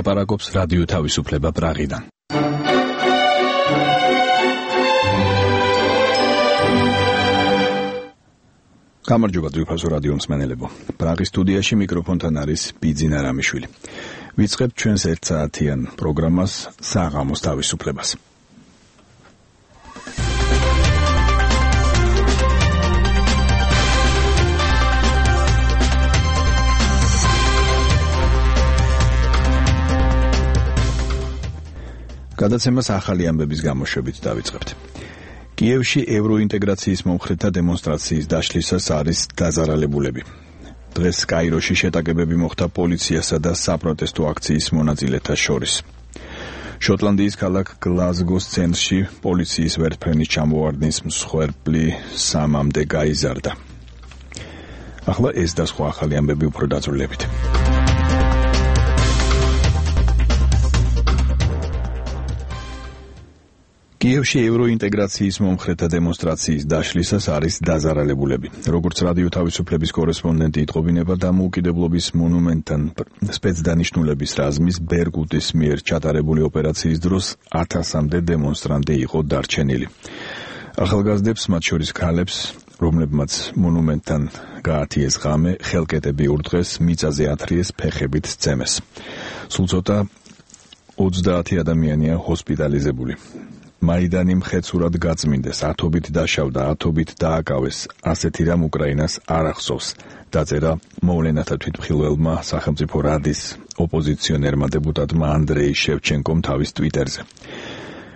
ლაპარაკობს რადიო თავისუფლება პრაღიდან. გამარჯობა ძვირფასო რადიო მსმენელებო. პრაღის სტუდიაში მიკროფონთან არის ბიძინა რამიშვილი. ვიწყებთ ჩვენს ერთსაათიან პროგრამას საღამოს თავისუფლებას. გადაცემას ახალი ამბების გამოშვებით დავიწყებთ. კიევში ევროინტეგრაციის მომხრეთა დემონსტრაციის დაშლისას არის დაზარალებულები. დღეს კაიროში შეტაკებები მოხდა პოლიციასა და საპროტესტო აქციის მონაწილეთა შორის. შოტლანდიის ქალაქ გლაზგოს ცენტრში პოლიციის ვერტმფრენის ჩამოვარდნის მსხვერპლი 3-მდე გაიზარდა. ახლა ეს და სხვა ახალი ამბები უფრო დაწვრილებით. კიევში ევროინტეგრაციის მომხრეთა დემონსტრაციის დაშლისას არის დაზარალებულები. როგორც რადიო თავისუფლების კორესპონდენტი იტყობინება, დამოუკიდებლობის მონუმენტთან სპეცდანიშნულების რაზმის ბერგუტის მიერ ჩატარებული ოპერაციის დროს 1000-მდე დემონსტრანტი იყო დარჩენილი. ახალგაზრდებს, მათ შორის ქალებს, რომლებმაც მონუმენტთან გაათიეს ღამე, ხელკეტები ურტყეს, მიწაზე ათრიეს, ფეხებით სცემეს. სულ ცოტა 30 ადამიანია ჰოსპიტალიზებული. მაიდანი მხეცურად გაწმინდეს, ათობით დაშავდა, ათობით დააკავეს. ასეთი რამ უკრაინას არ ახსოვს, დაწერა მოვლენათა თვითმხილველმა სახელმწიფო რადის ოპოზიციონერმა დეპუტატმა ანდრეი შევჩენკომ თავის ტვიტერზე.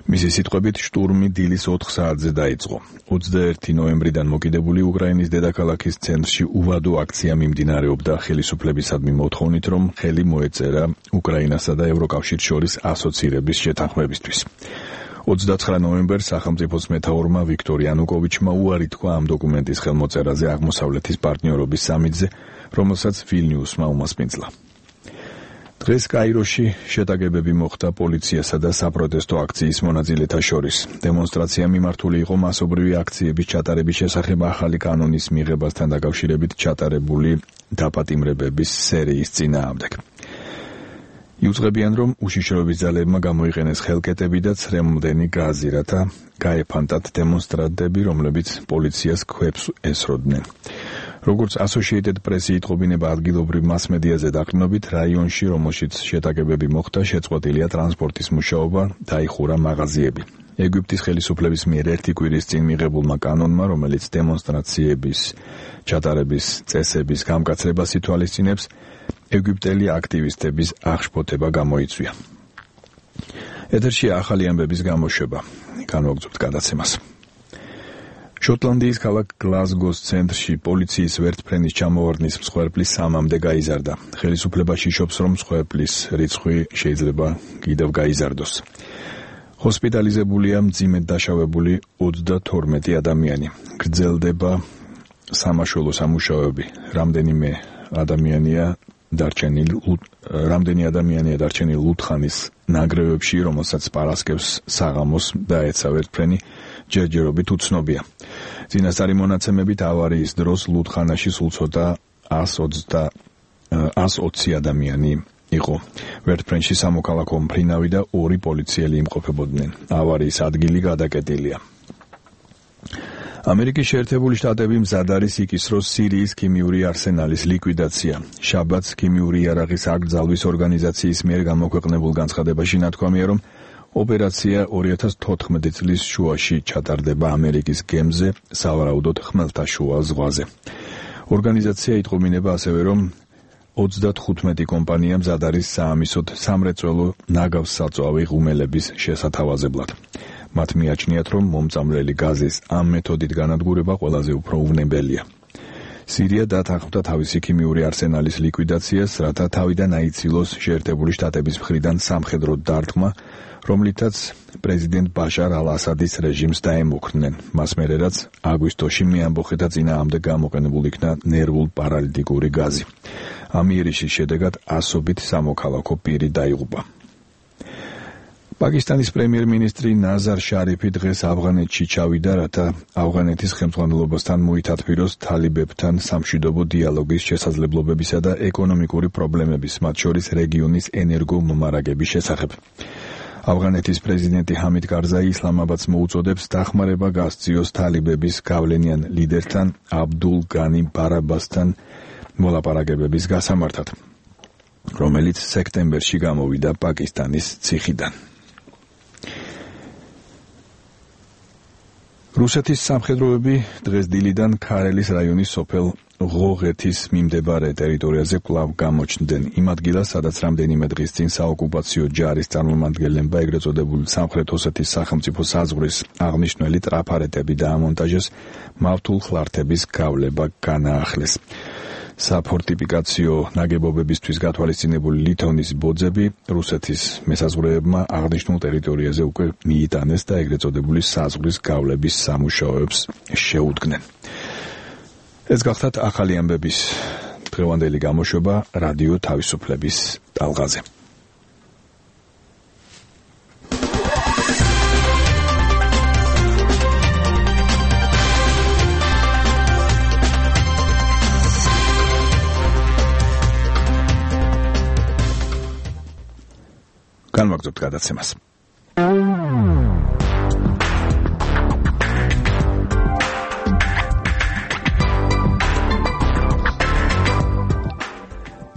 მისი სიტყვებით, შტურმი დილის 4 საათზე დაიწყო. 21 ნოემბრიდან მოკიდებული უკრაინის დედაქალაქის ცენტრში უვადო აქცია მიმდინარეობდა ხელისუფლებისადმი მოთხოვნით, რომ ხელი მოეწერა უკრაინასა და ევროკავშირს შორის ასოცირების შეთანხმებისთვის. 29 ნოემბერს სახელმწიფოს მეთაურმა ვიქტორ იანუკოვიჩმა უარი თქვა ამ დოკუმენტის ხელმოწერაზე აღმოსავლეთის პარტნიორობის სამიტზე, რომელსაც ვილნიუსმა უმასპინძლა. დღეს კაიროში შეტაკებები მოხდა პოლიციასა და საპროტესტო აქციის მონაწილეთა შორის. დემონსტრაცია მიმართული იყო მასობრივი აქციების ჩატარების შესახებ ახალი კანონის მიღებასთან დაკავშირებით ჩატარებული დაპატიმრებების სერიის წინააღმდეგ. იუწყებიან, რომ უშიშროების ძალებმა გამოიყენეს ხელკეტები და ცრემლდენი გაზი, რათა გაეფანტათ დემონსტრანტები, რომლებიც პოლიციას ქვებს ესროდნენ. როგორც Associated Press იტყობინება ადგილობრივ მასმედიაზე დაყრდნობით, რაიონში, რომელშიც შეტაკებები მოხდა, შეწყვეტილია ტრანსპორტის მუშაობა, დაიხურა მაღაზიები. ეგვიპტის ხელისუფლების მიერ 1 კვირის წინ მიღებულმა კანონმა, რომელიც დემონსტრაციების ჩატარების წესების გამკაცრებას ითვალისწინებს, ეგვიპტელი აქტივისტების აღშფოთება გამოიწვია. ეთერში ახალი ამბების გამოშვება. განვაგრძობთ გადაცემას. შოტლანდიის ქალაქ გლაზგოს ცენტრში პოლიციის ვერტმფრენის ჩამოვარდნის მსხვერპლი 3-მდე გაიზარდა. ხელისუფლებაში შობს, რომ მსხვერპლის რიცხვი შეიძლება კიდევ გაიზარდოს. ჰოსპიტალიზებულია მძიმედ დაშავებული 32 ადამიანი. გრძელდება სამაშველო სამუშაოები. რამდენი ადამიანია დარჩენილი ლუთხანის ნანგრევებში, რომელსაც პარასკევს საღამოს დაეცა ვერტმფრენი, ჯერჯერობით უცნობია. წინასწარი მონაცემებით ავარიის დროს ლუთხანაში სულ ცოტა 120 ადამიანი იყო. ვერტმფრენში სამოქალაქო მფრინავი და 2 პოლიციელი იმყოფებოდნენ. ავარიის ადგილი გადაკეტილია. ამერიკის შეერთებული შტატები მზად არის იკისროს სირიის ქიმიური არსენალის ლიკვიდაცია. შაბათს ქიმიური იარაღის აკრძალვის ორგანიზაციის მიერ გამოქვეყნებულ განცხადებაში ნათქვამია, რომ ოპერაცია 2014 წლის შუაში ჩატარდება ამერიკის გემზე, სავარაუდოდ ხმელთაშუა ზღვაზე. ორგანიზაცია იტყობინება ასევე, რომ 35 კომპანია მზად არის საამისოდ სამრეწველო ნაგავსსაწვავი ღუმელების შესათავაზებლად. მათ მიაჩნიათ, რომ მომწამლელი გაზის ამ მეთოდით განადგურება ყველაზე უფრო უვნებელია. სირია დათანხმდა თავისი ქიმიური არსენალის ლიკვიდაციას, რათა თავიდან აიცილოს შეერთებული შტატების მხრიდან სამხედრო დარტყმა, რომლითაც პრეზიდენტ ბაშარ ალ-ასადის რეჟიმს დაემუქრნენ. მას მერე რაც აგვისტოში მეამბოხეთა წინააღმდეგ გამოყენებულ იქნა ნერვულ პარალიტიკური გაზი. ამ იერიშის შედეგად ასობით სამოქალაქო პირი დაიღუპა. პაკისტანის პრემიერ-მინისტრი ნაზარ შარიფი დღეს ავღანეთში ჩავიდა, რათა ავღანეთის ხელმძღვანელობასთან მოითათბიროს თალიბებთან სამშვიდობო დიალოგის შესაძლებლობებისა და ეკონომიკური პრობლემების, მათ შორის რეგიონის ენერგომომარაგების შესახებ. ავღანეთის პრეზიდენტი ჰამიდ კარზაი ისლამაბადს მოუწოდებს დახმარება გასწიოს თალიბების გავლენიან ლიდერთან აბდულ განი ბარაბასთან მოლაპარაკებების გასამართად, რომელიც სექტემბერში გამოვიდა პაკისტანის ციხიდან. რუსეთის სამხედროები დღეს დილიდან ქარელის რაიონის სოფელ ღოღეთის მიმდებარე ტერიტორიაზე კვლავ გამოჩნდნენ იმ ადგილას, სადაც რამდენიმე დღის წინ საოკუპაციო ჯარის წარმომადგენლებმა ეგრეთ წოდებული სამხრეთ ოსეთის სახელმწიფო საზღვრის აღნიშნული ტრაფარეტები დაამონტაჟეს, მავთულ ხლართების გავლება განაახლეს. საფორტიფიკაციო ნაგებობებისთვის გათვალისწინებული ლითონის ბოძები რუსეთის მესაზღვრეებმა აღნიშნულ ტერიტორიაზე უკვე მიიტანეს და ეგრეთ წოდებული საზღვრის გავლების სამუშაოებს შეუდგნენ. ეს გახლავთ ახალი ამბების დღევანდელი გამოშვება რადიო თავისუფლების ტალღაზე. განვაგრძობთ გადაცემას.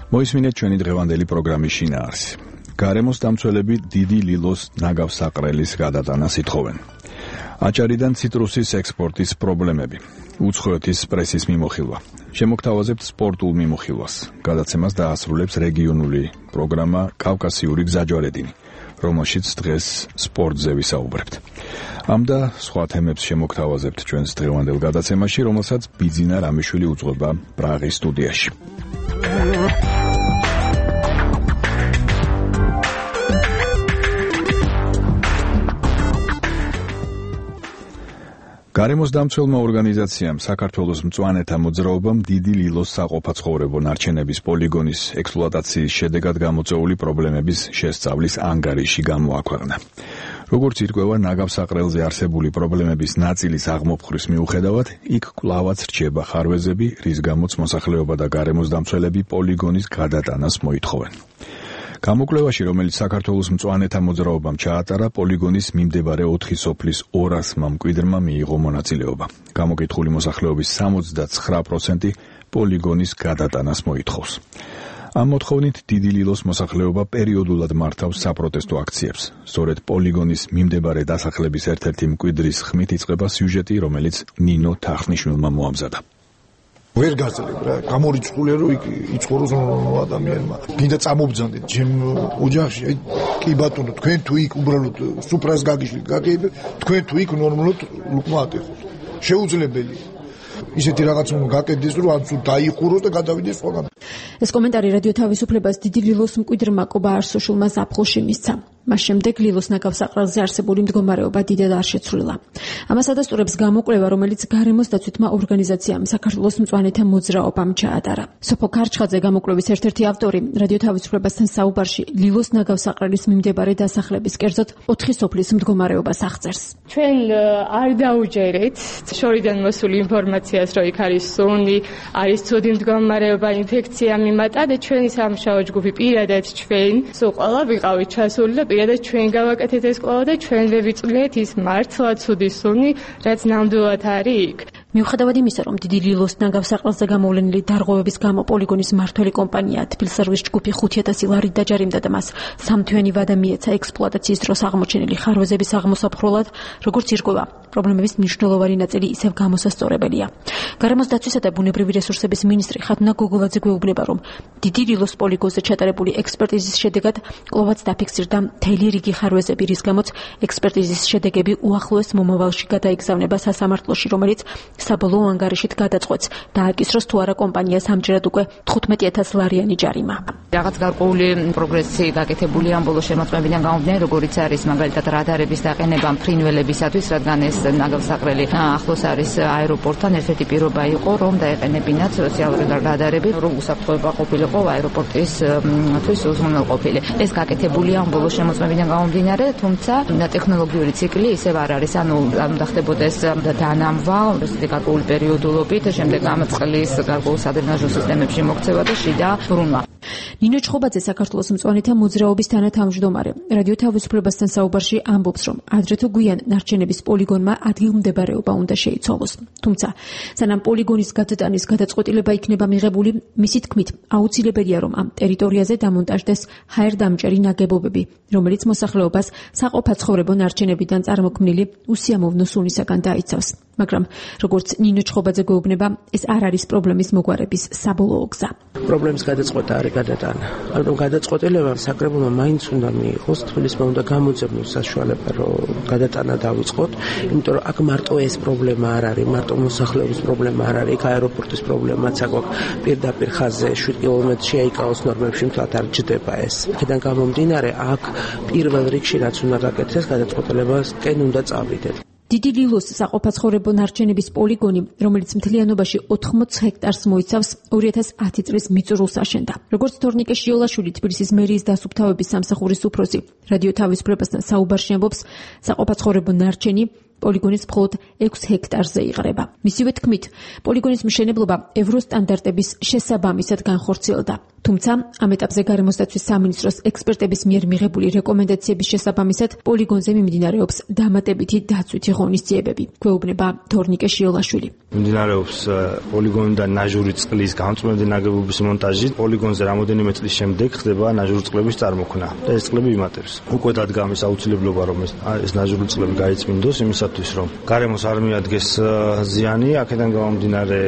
მოისმინეთ ჩვენი დღევანდელი პროგრამის შინაარსი. გარემოს დამცველები დიდი ლილოს ნაგავსაყრელის გადატანას ითხოვენ. აჭარიდან ციტრუსის ექსპორტის პრობლემები. უცხოეთის პრესის მიმოხილვა. შემოგთავაზებთ სპორტულ მიმოხილვას. გადაცემას დაასრულებს რეგიონული პროგრამა კავკასიური გზაჯვარედინი, რომელშიც დღეს სპორტზე ვისაუბრებთ. ამ და სხვა თემებს შემოგთავაზებთ ჩვენს დღევანდელ გადაცემაში, რომელსაც ბიძინა რამიშვილი უძღვება პრაღის სტუდიაში. გარემოს დამცველმა ორგანიზაციამ საქართველოს მწვანეთა მოძრაობამ დიდი ლილოს საყოფაცხოვრებო ნარჩენების პოლიგონის ექსპლუატაციის შედეგად გამოწვეული პრობლემების შესწავლის ანგარიში გამოაქვეყნა. როგორც ირკვევა, ნაგავსაყრელზე არსებული პრობლემების ნაწილის აღმოფხვრის მიუხედავად, იქ კვლავაც რჩება ხარვეზები, რის გამოც მოსახლეობა და გარემოს დამცველები პოლიგონის გადატანას მოითხოვენ. გამოკვლევაში, რომელიც საქართველოს მწვანეთა მოძრაობამ ჩაატარა, პოლიგონის მიმდებარე 4 სოფლის 200 მკვიდრმა მიიღო მონაწილეობა. გამოკითხული მოსახლეობის 69% პოლიგონის გადატანას მოითხოვს. ამ მოთხოვნით დიდი ლილოს მოსახლეობა პერიოდულად მართავს საპროტესტო აქციებს. სწორედ პოლიგონის მიმდებარე დასახლების ერთ-ერთი მკვიდრის ხმით იწყება სიუჟეტი, რომელიც ნინო თახნიშვილმა მოამზადა. ვერ გაწელებ რა, გამორიცხულია რომ იქ იცხოვროს ადამიანმა. გინდა წამობძანდეთ ჩემ ოჯახში, აი კი ბატონო, თქვენ თუ იქ უბრალოდ სუფრას გაგიშლით, გაგეიბეთ, თქვენ თუ იქ ნორმალურად ლუკმა ატეხოთ. შეუძლებელია. ისეთი რაღაც უნდა გაკეთდეს, რომ ან თუ დაიხუროს და გადავიდეს სხვაგან. ეს კომენტარი რადიო თავისუფლებას დიდი ლილოს მკვიდრმა კობა არსოშულმა ზაფხულში მისცა. მას შემდეგ ლილოს ნაგავსაყრელზე არსებული მდგომარეობა დიდად არ შეცვლილა. ამას ადასტურებს გამოკვლევა, რომელიც გარემოს დაცვითმა ორგანიზაციამ საქართველოს მწვანეთა მოძრაობამ ჩაატარა. სოფო ქარჩხაძე, გამოკვლევის ერთ-ერთი ავტორი, რადიო თავისუფლებასთან საუბარში ლილოს ნაგავსაყრელის მიმდებარე დასახლების, კერძოდ 4 სოფლის მდგომარეობას აღწერს. ჩვენ არ დაუჯერეთ შორიდან მოსული ინფორმაციას, რომ იქ არის სუნი, არის ცუდი მდგომარეობა, ინფექცია მიმატა და ჩვენი სამუშაო ჯგუფი პირადად ჩვენ სულ ყველა ვიყავით ჩასული და პირადად ჩვენ გავაკეთეთ ეს კვლევა და ჩვენ ვივიწვლიეთ ის მართლა ცუდი სუნი, რაც ნამდვილად არის იქ. მიუხედავად იმისა, რომ დიდი ლილოს ნაგავსაყრელზე გამოვლენილი დარღვევების გამო პოლიგონის მმართველი კომპანია თბილსერვის ჯგუფი 5,000 ლარით დაჯარიმდა და მას სამთვიანი ვადა მიეცა ექსპლუატაციის დროს აღმოჩენილი ხარვეზების აღმოსაფრულად, როგორც ირკვევა, პრობლემების მნიშვნელოვანი ნაწილი ისევ გამოსასწორებელია. გარემოს დაცვისა და ბუნებრივი რესურსების მინისტრი ხათუნა გოგოლაძე გვეუბნება, რომ დიდი ლილოს პოლიგონზე ჩატარებული ექსპერტიზის შედეგად კვლავაც დაფიქსირდა მთელი რიგი ხარვეზები, რის გამოც ექსპერტიზის შედეგები უახლოეს მომავალში გადაიგზავნება სასამართლოში, რომელიც საბოლოო ანგარიშით გადაწყვეტს დააკისროს თუ არა კომპანიას ამჯერად უკვე 15,000 ლარიანი ჯარიმა. რაღაც გარკვეული პროგრესი გაკეთებულია ამ ბოლო შემოწმებიდან გამომდინარე, როგორიც არის მაგალითად რადარების დაყენება ფრინველებისათვის, რადგან ეს ნაგავსაყრელი ახლოს არის აეროპორტთან, ერთ-ერთი პირობა იყო, რომ დაეყენებინათ სოციალური რადარები, რომ უსაფრთხოება ყოფილიყო აეროპორტისთვის უზრუნველყოფილი. ეს გაკეთებულია ამ ბოლო შემოწმებიდან გამომდინარე, თუმცა ტექნოლოგიური ციკლი ისევ არ არის, ანუ უნდა ხდებოდეს დანამვა გარკვეული პერიოდულობით, შემდეგ ამ წყლის გარკვეულ სადრენაჟო სისტემებში მოქცევა და შიდა ბრუნვა. ნინო ჩხობაძე საქართველოს მწვანეთა მოძრაობის თანათავმჯდომარე რადიო თავისუფლებასთან საუბარში ამბობს, რომ ადრე თუ გვიან ნარჩენების პოლიგონმა ადგილმდებარეობა უნდა შეიცვალოს. თუმცა სანამ პოლიგონის გადატანის გადაწყვეტილება იქნება მიღებული, მისი თქმით, აუცილებელია, რომ ამ ტერიტორიაზე დამონტაჟდეს ჰაერდამჭერი ნაგებობები, რომელიც მოსახლეობას საყოფაცხოვრებო ნარჩენებიდან წარმოქმნილი უსიამოვნო სუნისაგან დაიცავს. მაგრამ როგორც ნინო ჩხობაძე გვეუბნება, ეს არ არის პრობლემის მოგვარების საბოლოო გზა. პრობლემის გადაწყვეტა არის გადატანა. ანუ გადაწყვეტილება საკრებულმა მაინც უნდა მიიღოს, თბილისმა უნდა გამოძებნოს საშუალება, რომ გადატანა დავიწყოთ, იმიტომ რომ აქ მარტო ეს პრობლემა არ არის, მარტო მოსახლეობის პრობლემა არ არის, იქ აეროპორტის პრობლემაც აქვს, პირდაპირ ხაზზე 7 კილომეტრში აიკაოს ნორმებში მთლად არ ჯდება ეს. აქედან გამომდინარე, აქ პირველ რიგში რაც უნდა გაკეთდეს, გადაწყვეტილებასკენ უნდა წავიდეთ. დიდი ლილოს საყოფაცხოვრებო ნარჩენების პოლიგონი, რომელიც მთლიანობაში 80 ჰექტარს მოიცავს, 2010 წლის მიწურულს აშენდა. როგორც თორნიკე შიოლაშვილი, თბილისის მერიის დასუფთავების სამსახურის უფროსი, რადიო თავისუფლებასთან საუბარში ამბობს, საყოფაცხოვრებო ნარჩენი პოლიგონის მხოლოდ 6 ჰექტარზე იღრება. მისივე თქმით, პოლიგონის მშენებლობა ევროსტანდარტების შესაბამისად განხორციელდა. თუმცა, ამ ეტაპზე გარემოსდაცვის სამინისტროს ექსპერტების მიერ მიღებული რეკომენდაციების შესაბამისად, პოლიგონზე მიმდინარეობს დამატებითი დაცვითი ღონისძიებები. გვეუბნება თორნიკე შიოლაშვილი. მიმდინარეობს პოლიგონიდან ნაჟური წყლის გამწვანე ნაგებობის მონტაჟი. პოლიგონზე რამოდენიმე წლის შემდეგ ხდება ნაჟური წყლების წარმოქმნა და ეს წყლები იმატებს. უკვე დადგა ამის აუცილებლობა, რომ ეს ნაჟური წყლები გაიწმინდოს იმისათვის, რომ გარემოს არ მიადგეს ზიანი. აქედან გამომდინარე,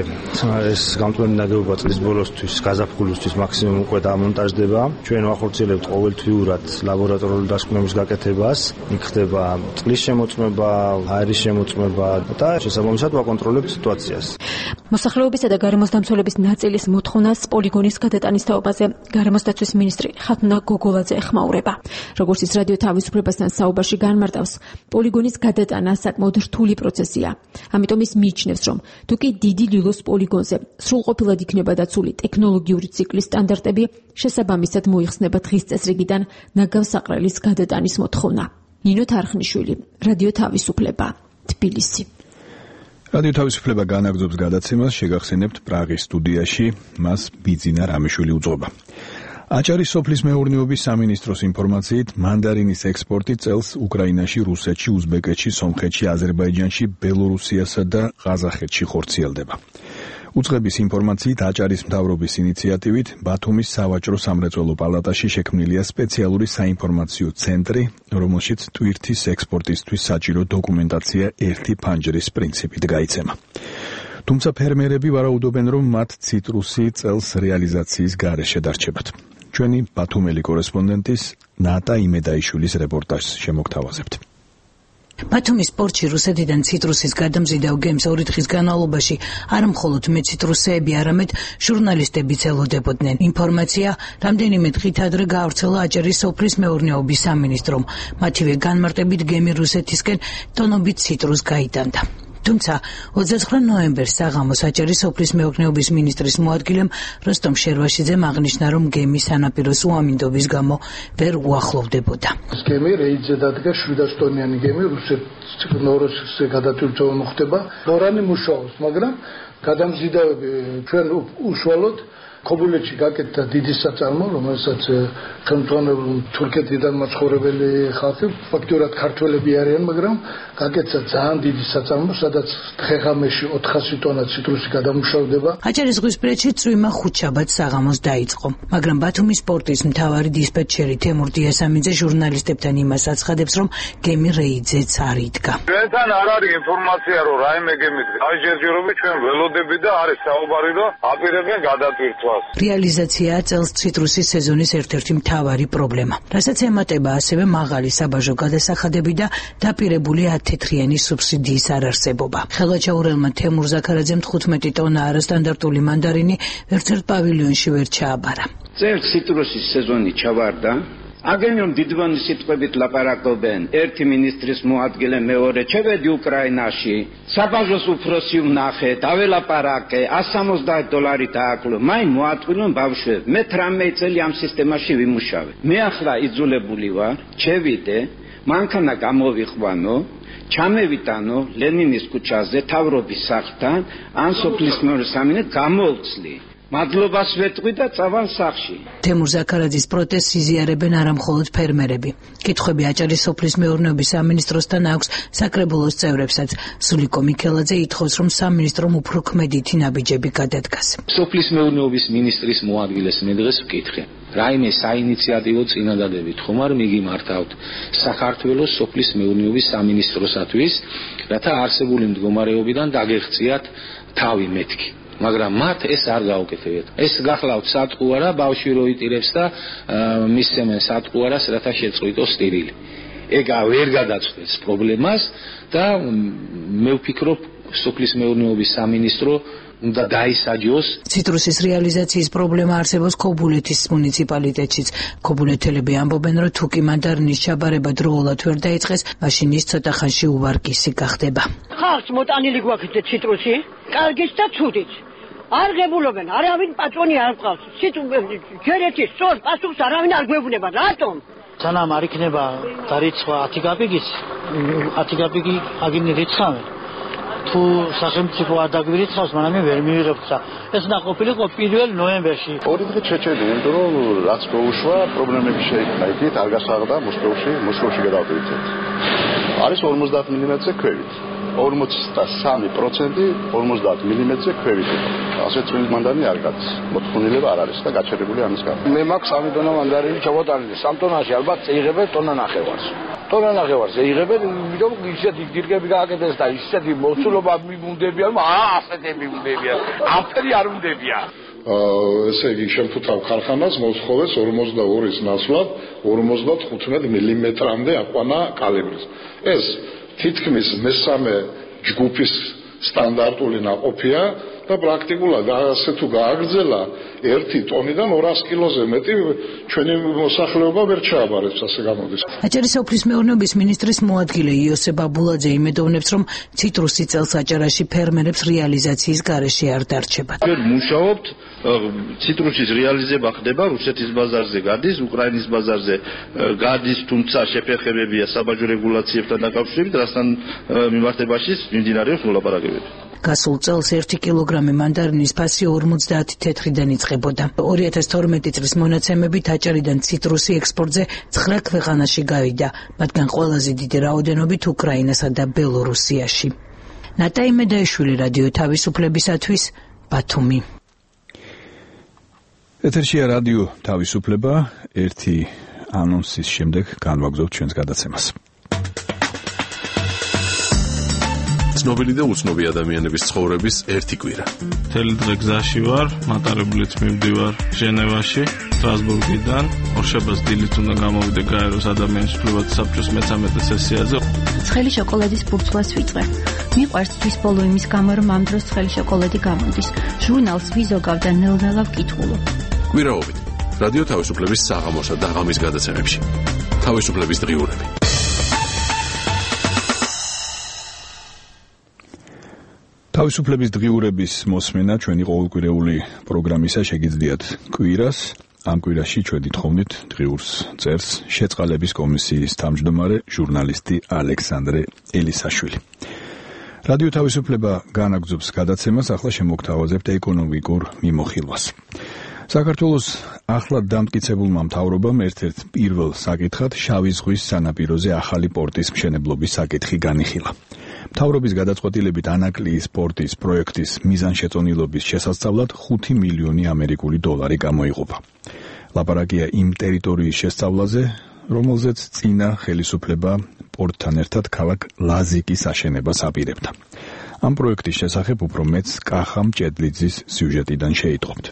ეს გამწვანე ნაგებობა წლის ბოლოსთვის გაზაფხულისთვის მაქსიმუმ უკვე დამონტაჟდება. ჩვენ ვახორციელებთ ყოველთვიურად ლაბორატორიული დასკვნების გაკეთებას. იქ ხდება წყლის შემოწმება, აერის შემოწმება და შესაბამისად ვაკონტროლებთ სიტუაციას. მოსახლეობისა და გარემოსდამცველების ნაწილის მოთხოვნას პოლიგონის გადატანის თაობაზე გარემოსდაცვის მინისტრი ხათუნა გოგოლაძე ეხმაურება. როგორც ის რადიო თავისუფლებასთან საუბარში განმარტავს, პოლიგონის გადატანა საკმაოდ რთული პროცესია. ამიტომ ის მიიჩნევს, რომ თუკი დიდი ლილოს პოლიგონზე სრულყოფილად იქნება დაცული ტექნოლოგიური ციკლის სტანდარტები, შესაბამისად მოიხსნება დღის წესრიგიდან ნაგავსაყრელის გადატანის მოთხოვნა. ნინო თარხნიშვილი, რადიო თავისუფლება, თბილისი. რადიო თავისუფლება განაგრძობს გადაცემას, შეგახსენებთ პრაღის სტუდიაში, მას ბიძინა რამიშვილი უძღვება. აჭარის სოფლის მეურნეობის სამინისტროს ინფორმაციით, მანდარინის ექსპორტი წელს უკრაინაში, რუსეთში, უზბეკეთში, სომხეთში, აზერბაიჯანში, ბელორუსიასა და ყაზახეთში ხორციელდება. უწყების ინფორმაციით, აჭარის მთავრობის ინიციატივით, ბათუმის სავაჭრო სამრეწველო პალატაში შექმნილია სპეციალური საინფორმაციო ცენტრი, რომელშიც ტვირთის ექსპორტისთვის საჭირო დოკუმენტაცია ერთი ფანჯრის პრინციპით გაიცემა. თუმცა ფერმერები ვარაუდობენ, რომ მათ ციტრუსი წელს რეალიზაციის გარეშე დარჩებათ. ჩვენი ბათუმელი კორესპონდენტის ნატა იმედაიშვილის რეპორტაჟს შემოგთავაზებთ. ბათუმის პორტში რუსეთიდან ციტრუსის გადამზიდავ გემს 2 დღის განმავლობაში არა მხოლოდ მეციტრუსეები, არამედ ჟურნალისტებიც ელოდებოდნენ. ინფორმაცია რამდენიმე დღით ადრე გაავრცელა აჭარის სოფლის მეურნეობის სამინისტრომ. მათივე განმარტებით გემი რუსეთისკენ ტონობით ციტრუს გაიტანდა. თუმცა 29 ნოემბერს საღამოს აჭარის სოფლის მეურნეობის მინისტრის მოადგილემ როსტომ შერვაშიძემ აღნიშნა, რომ გემის სანაპიროს უამინდობის გამო ვერ უახლოვდებოდა. გემი რეიდზე დადგა 700 ტონიანი გემი რუსეთს გადატვირთვა მოხდება. დორანი მუშაობს, მაგრამ გადამზიდავები ჩვენ უშუალოდ ქობულეთში გაკეთდა დიდი საწარმო, რომელსაც ხელმძღვანელობენ თურქეთიდან მაცხოვრებელი ხალხი, ფაქტურად ქართველები არიან, მაგრამ გაკეთდა ძალიან დიდი საწარმო, სადაც დღე-ღამეში 400 ტონა ციტრუსი გადამუშავდება. აჭარის ზღვისპირეთში წვიმა ხუთშაბათს საღამოს დაიწყო, მაგრამ ბათუმის პორტის მთავარი დისპეტჩერი თემურ დიასამიძე ჟურნალისტებთან იმას აცხადებს, რომ გემი რეიდზეც არ იდგა. ჩვენთან არ არის ინფორმაცია, რომ რაიმე გემით გაიჯერჯერობით, ჩვენ ველოდები და არის საუბარი, რომ აპირებენ გადატვირთვა. რეალიზაციაა წელს ციტრუსის სეზონის ერთ-ერთი მთავარი პრობლემა, რასაც ემატება ასევე მაღალი საბაჟო გადასახადები და დაპირებული 10 თეთრიანი სუბსიდიის არარსებობა. ხელვაჩაურელმა თემურ ზაქარაძემ 15 ტონა არასტანდარტული მანდარინი ერთ-ერთ პავილიონში ვერ ჩააბარა. წელს ციტრუსის სეზონი ჩავარდა, აგენიონ დიდვანი სიტყვებით ლაპარაკობენ ერთი მინისტრის მოადგილე მეორე ჩევედი უკრაინაში საბაჟოს უფროსი ვნახე დაველაპარაკე $170 დააკლო მაინ მოატყვილონ ბავშვები მე 18 წელი ამ სისტემაში ვიმუშავე მე ახლა იძულებული ვარ ჩევიდე მანქანა გამოვიყვანო ჩამევიტანო ლენინის ქუჩაზე თავრობის სახლთან ან სოფლის მეორე სამინეთ გამოვცლი მადლობას ვეტყვი და წავალ სახლში. თემურ ზაქარაძის პროტესტს იზიარებენ არა მხოლოდ ფერმერები. კითხვები აჭარის სოფლის მეურნეობის სამინისტროსთან აქვს საკრებულოს წევრებსაც. სულიკო მიქელაძე ითხოვს, რომ სამინისტრომ უფრო ქმედითი ნაბიჯები გადადგას. სოფლის მეურნეობის მინისტრის მოადგილეს მე დღეს ვკითხე. რაიმე საინიციატივო წინადადებით ხომ არ მიგიმართავთ საქართველოს სოფლის მეურნეობის სამინისტროსათვის, რათა არსებული მდგომარეობიდან დაგეღწიათ თავი მეთქი. მაგრამ მათ ეს არ გაუკეთებიათ. ეს გახლავთ სატყუარა, ბავშვი რო იტირებს და მისცემენ სატყუარას, რათა შეწყვიტოს სტირილი. ეგა ვერ გადაწყვეტს პრობლემას და მე ვფიქრობ, სოფლის მეურნეობის სამინისტრო უნდა დაისაჯოს. ციტრუსის რეალიზაციის პრობლემა არსებობს ქობულეთის მუნიციპალიტეტშიც. ქობულეთელები ამბობენ, რომ თუ კი მანდარინის ჩაბარება დროულად ვერ დაიწყეს, მაშინ ის ცოტა ხანში უვარგისი გახდება. ხალხს მოტანილი გვაქვს ციტრუსი, კარგიც და ცუდიც. არ ღებულობენ, არავინ პატრონი არ ყავს. ჯერეთი სწორ პასუხს არავინ არ გვეუბნება. რატომ? სანამ არ იქნება დარიცხვა 10 კაპიკის, 10 კაპიკი აგინი რიცხავენ. თუ სახელმწიფო არ დაგვირიცხავს, მანამდე ვერ მივიღებთ. ეს ნაყოფილიყო 1 ნოემბერში. ორი დღე შეჭედი, იმიტომ რომ რაც მოუშვა, პრობლემები შეიქმნა. იქით არ გასაღდა მოსკოვში გადავდივით. არის 50 მმ-ზე ქვევით. 43% 50 მმ-ზე ქვევით. ასე წვილი მანდარინი არ გადის. მოთხოვნილება არ არის და გაჩერებული ამის გამო. მე მაქვს 3 ტონა მანდარინი ჩავატანილი. 3 ტონაში ალბათ წეიღებენ ტონა ნახევარს. ტონა ნახევარს ეიღებენ, იმიტომ ისეთი დირგები გააკეთეს და ისეთი მოცულობა მიუნდებიან, ასეთი მიუნდებიან. ამფერი არ უნდებია. ესე იგი შემფუთავ ქარხანას მოსხოვეს 42-ის ნაცვლად 55 მმ-მდე აყვანა კალიბრის. ეს თითქმის მესამე ჯგუფის სტანდარტული ნაყოფია და პრაქტიკულად ასე თუ გააგრძელა 1 ტონიდან 200 კილოზე მეტი ჩვენი მოსახლეობა ვერ ჩააბარებს, ასე გამოდის. აჭარის სოფლის მეურნეობის მინისტრის მოადგილე იოსებ აბულაძე იმედოვნებს, რომ ციტრუსი წელს აჭარაში ფერმერებს რეალიზაციის გარეშე არ დარჩება. ჩვენ მუშაობთ, ციტრუსის რეალიზება ხდება, რუსეთის ბაზარზე გადის, უკრაინის ბაზარზე გადის, თუმცა შეფერხებებია საბაჟო რეგულაციებთან დაკავშირებით, რასთან მიმართებაში მიმდინარეობს მოლაპარაკებები. გასულ წელს 1 კილოგრამი მანდარინის ფასი 50 თეთრიდან იწყებოდა. 2012 წლის მონაცემებით აჭარიდან ციტრუსი ექსპორტზე 9 ქვეყანაში გავიდა, მათგან ყველაზე დიდი რაოდენობით უკრაინასა და ბელორუსიაში. ნატაი მედაიშვილი, რადიო თავისუფლებისათვის, ბათუმი. ეთერშია რადიო თავისუფლება, ერთი ანონსის შემდეგ განვაგრძობთ ჩვენს გადაცემას. ცნობილი და უცნობი ადამიანების ცხოვრების ერთი კვირა. მთელი დღე გზაში ვარ, მატარებლით მივდივარ ჟენევაში, სტრასბურგიდან, ორშაბათს დილით უნდა გამოვიდე გაეროს ადამიანის უფლებათა საბჭოს მე-13 სესიაზე. ცხელი შოკოლადის ფურცლას ვიწყე. მიყვარს თვის ბოლო იმის გამო, რომ ამ დროს ცხელი შოკოლადი გამოდის. ჟურნალს ვიზოგავ და ნელ-ნელა ვკითხულობ. კვირაობით რადიო თავისუფლების საღამოსა და ღამის გადაცემებში. თავისუფლების დღიურები. თავისუფლების დღიურების მოსმენა ჩვენი ყოველკვირეული პროგრამისა შეგიძლიათ კვირას. ამ კვირაში ჩვენ ითხოვნით დღიურს წერს შეწყალების კომისიის თავმჯდომარე ჟურნალისტი ალექსანდრე ელისაშვილი. რადიო თავისუფლება განაგრძობს გადაცემას, ახლა შემოგთავაზებთ ეკონომიკურ მიმოხილვას. საქართველოს ახლად დამტკიცებულმა მთავრობამ ერთ-ერთ პირველ საკითხად შავი ზღვის სანაპიროზე ახალი პორტის მშენებლობის საკითხი განიხილა. მთავრობის გადაწყვეტილებით ანაკლიის პორტის პროექტის მიზანშეწონილობის შესასწავლად 5 მილიონი ამერიკული დოლარი გამოიყოფა. ლაპარაკია იმ ტერიტორიის შესწავლაზე, რომელზეც წინა ხელისუფლება პორტთან ერთად ქალაქ ლაზიკის აშენებას აპირებდა. ამ პროექტის შესახებ უფრო მეტს კახა მჭედლიძის სიუჟეტიდან შეიტყობთ.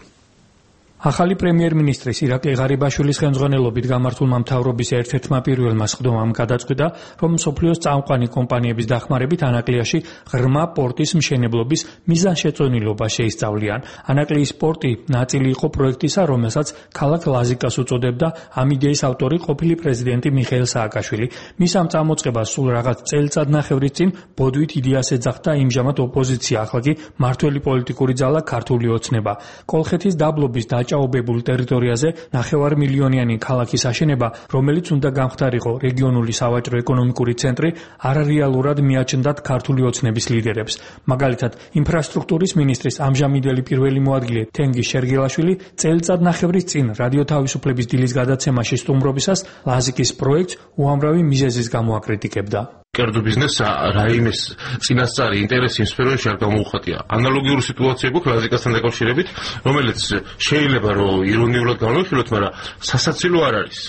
ახალი პრემიერ-მინისტრის ირაკლი ღარიბაშვილის ხელმძღვანელობით გამართულმა მთავრობის ერთ-ერთმა პირველმა სხდომამ გადაწყვიტა, რომ მსოფლიოს წამყვანი კომპანიების დახმარებით ანაკლიაში ღრმა პორტის მშენებლობის მიზანშეწონილობა შეისწავლიან. ანაკლიის პორტი ნაწილი იყო პროექტისა, რომელსაც ქალაქ ლაზიკას უწოდებდა ამ იდეის ავტორი ყოფილი პრეზიდენტი მიხეილ სააკაშვილი. მის ამ წამოწყებას სულ რაღაც წელიწადნახევრის წინ ბოდვით იდეას ეძახდა იმჟამად ოპოზიცია, ახლა კი მართველი პოლიტიკური ძალა ქართული ოცნება. კოლხეთის დაბლობის დაჭაობებულ ტერიტორიაზე 9 მილიონიანი ქალაქის აშენება, რომელიც უნდა გამხდარიყო რეგიონული სავაჭრო-ეკონომიკური ცენტრი, არარეალურად მიაჩნდათ ქართული ოცნების ლიდერებს. მაგალითად, ინფრასტრუქტურის მინისტრის ამჟამინდელი პირველი მოადგილე თენგიზ შერგელაშვილი წელიწადნახევრის წინ რადიო თავისუფლების დილის გადაცემაში სტუმრობისას ლაზიკის პროექტს უამრავი მიზეზის გამო აკრიტიკებდა. კერძო ბიზნესს რაიმეს წინასწარი ინტერესი იმ სფეროში არ გამოუხატია. ანალოგიური სიტუაცია გვაქვს ლაზიკასთან დაკავშირებით, რომელიც შეიძლება რომ ირონიულად განვიხილოთ, მაგრამ სასაცილო არ არის.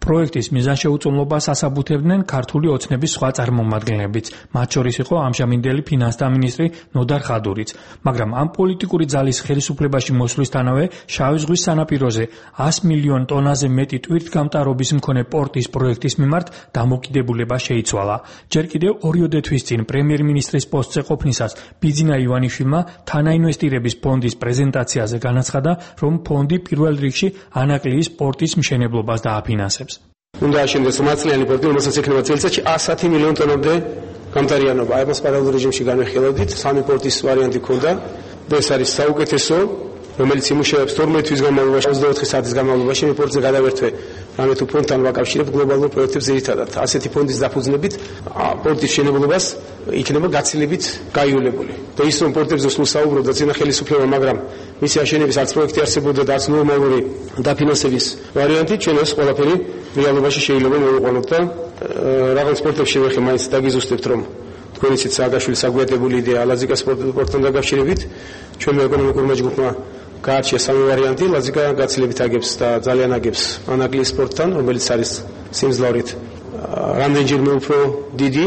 პროექტის მიზანშეუწონლობას ასაბუთებდნენ ქართული ოცნების სხვა წარმომადგენლებიც, მათ შორის იყო ამჟამინდელი ფინანსთა მინისტრი ნოდარ ხადურიც. მაგრამ ამ პოლიტიკური ძალის ხელისუფლებაში მოსვლისთანავე შავი ზღვის სანაპიროზე 100 მილიონ ტონაზე მეტი ტვირთგამტარობის მქონე პორტის პროექტის მიმართ დამოკიდებულება შეიცვალა. ჯერ კიდევ 2 თვის წინ პრემიერ-მინისტრის პოსტზე ყოფნისას ბიძინა ივანიშვილმა თანაინვესტირების ფონდის პრეზენტაციაზე განაცხადა, რომ ფონდი პირველ რიგში ანაკლიის პორტის მშენებლობას დააფინანსებს. უნდა აშენდეს მართლიანი პორტი, რომელსაც ექნება წელიწადში 110 მილიონ ტონამდე გამტარიანობა. აი მას პარალელურ რეჟიმში განვიხილავდით, 3 პორტის ვარიანტი ქონდა. ეს არის საუკეთესო, რომელიც იმუშავებს 12 თვის განმავლობაში, 24 საათის განმავლობაში. მე პორტზე გადავერთვე რამე თუ ფონდთან ვაკავშირებ გლობალურ პროექტებს ძირითადად. ასეთი ფონდის დაფუძნებით პორტის მშენებლობას იქნება გაცილებით გაიოლებული. და ის რომ პორტებზე სულ საუბრობდა წინა ხელისუფლება, მაგრამ მისი აშენების არც პროექტი არსებობდა და არც ნორმალური დაფინანსების ვარიანტი, ჩვენ ეს ყველაფერი რეალობაში შეიძლება მოვიყვანოთ და რაღაც პორტებში ვეხე მაინც დაგიზუსტებთ, რომ თქვენ იცით სააკაშვილის საგვიატებული იდეა ლაზიკას პორტთან დაკავშირებით, ჩვენმა ეკონომიკურმა ჯგუფმა გაარჩია 3 ვარიანტი, ლაზიკა გაცილებით აგებს და ძალიან აგებს ანაკლიის პორტთან, რომელიც არის სიმძლავრით რამდენჯერმე უფრო დიდი.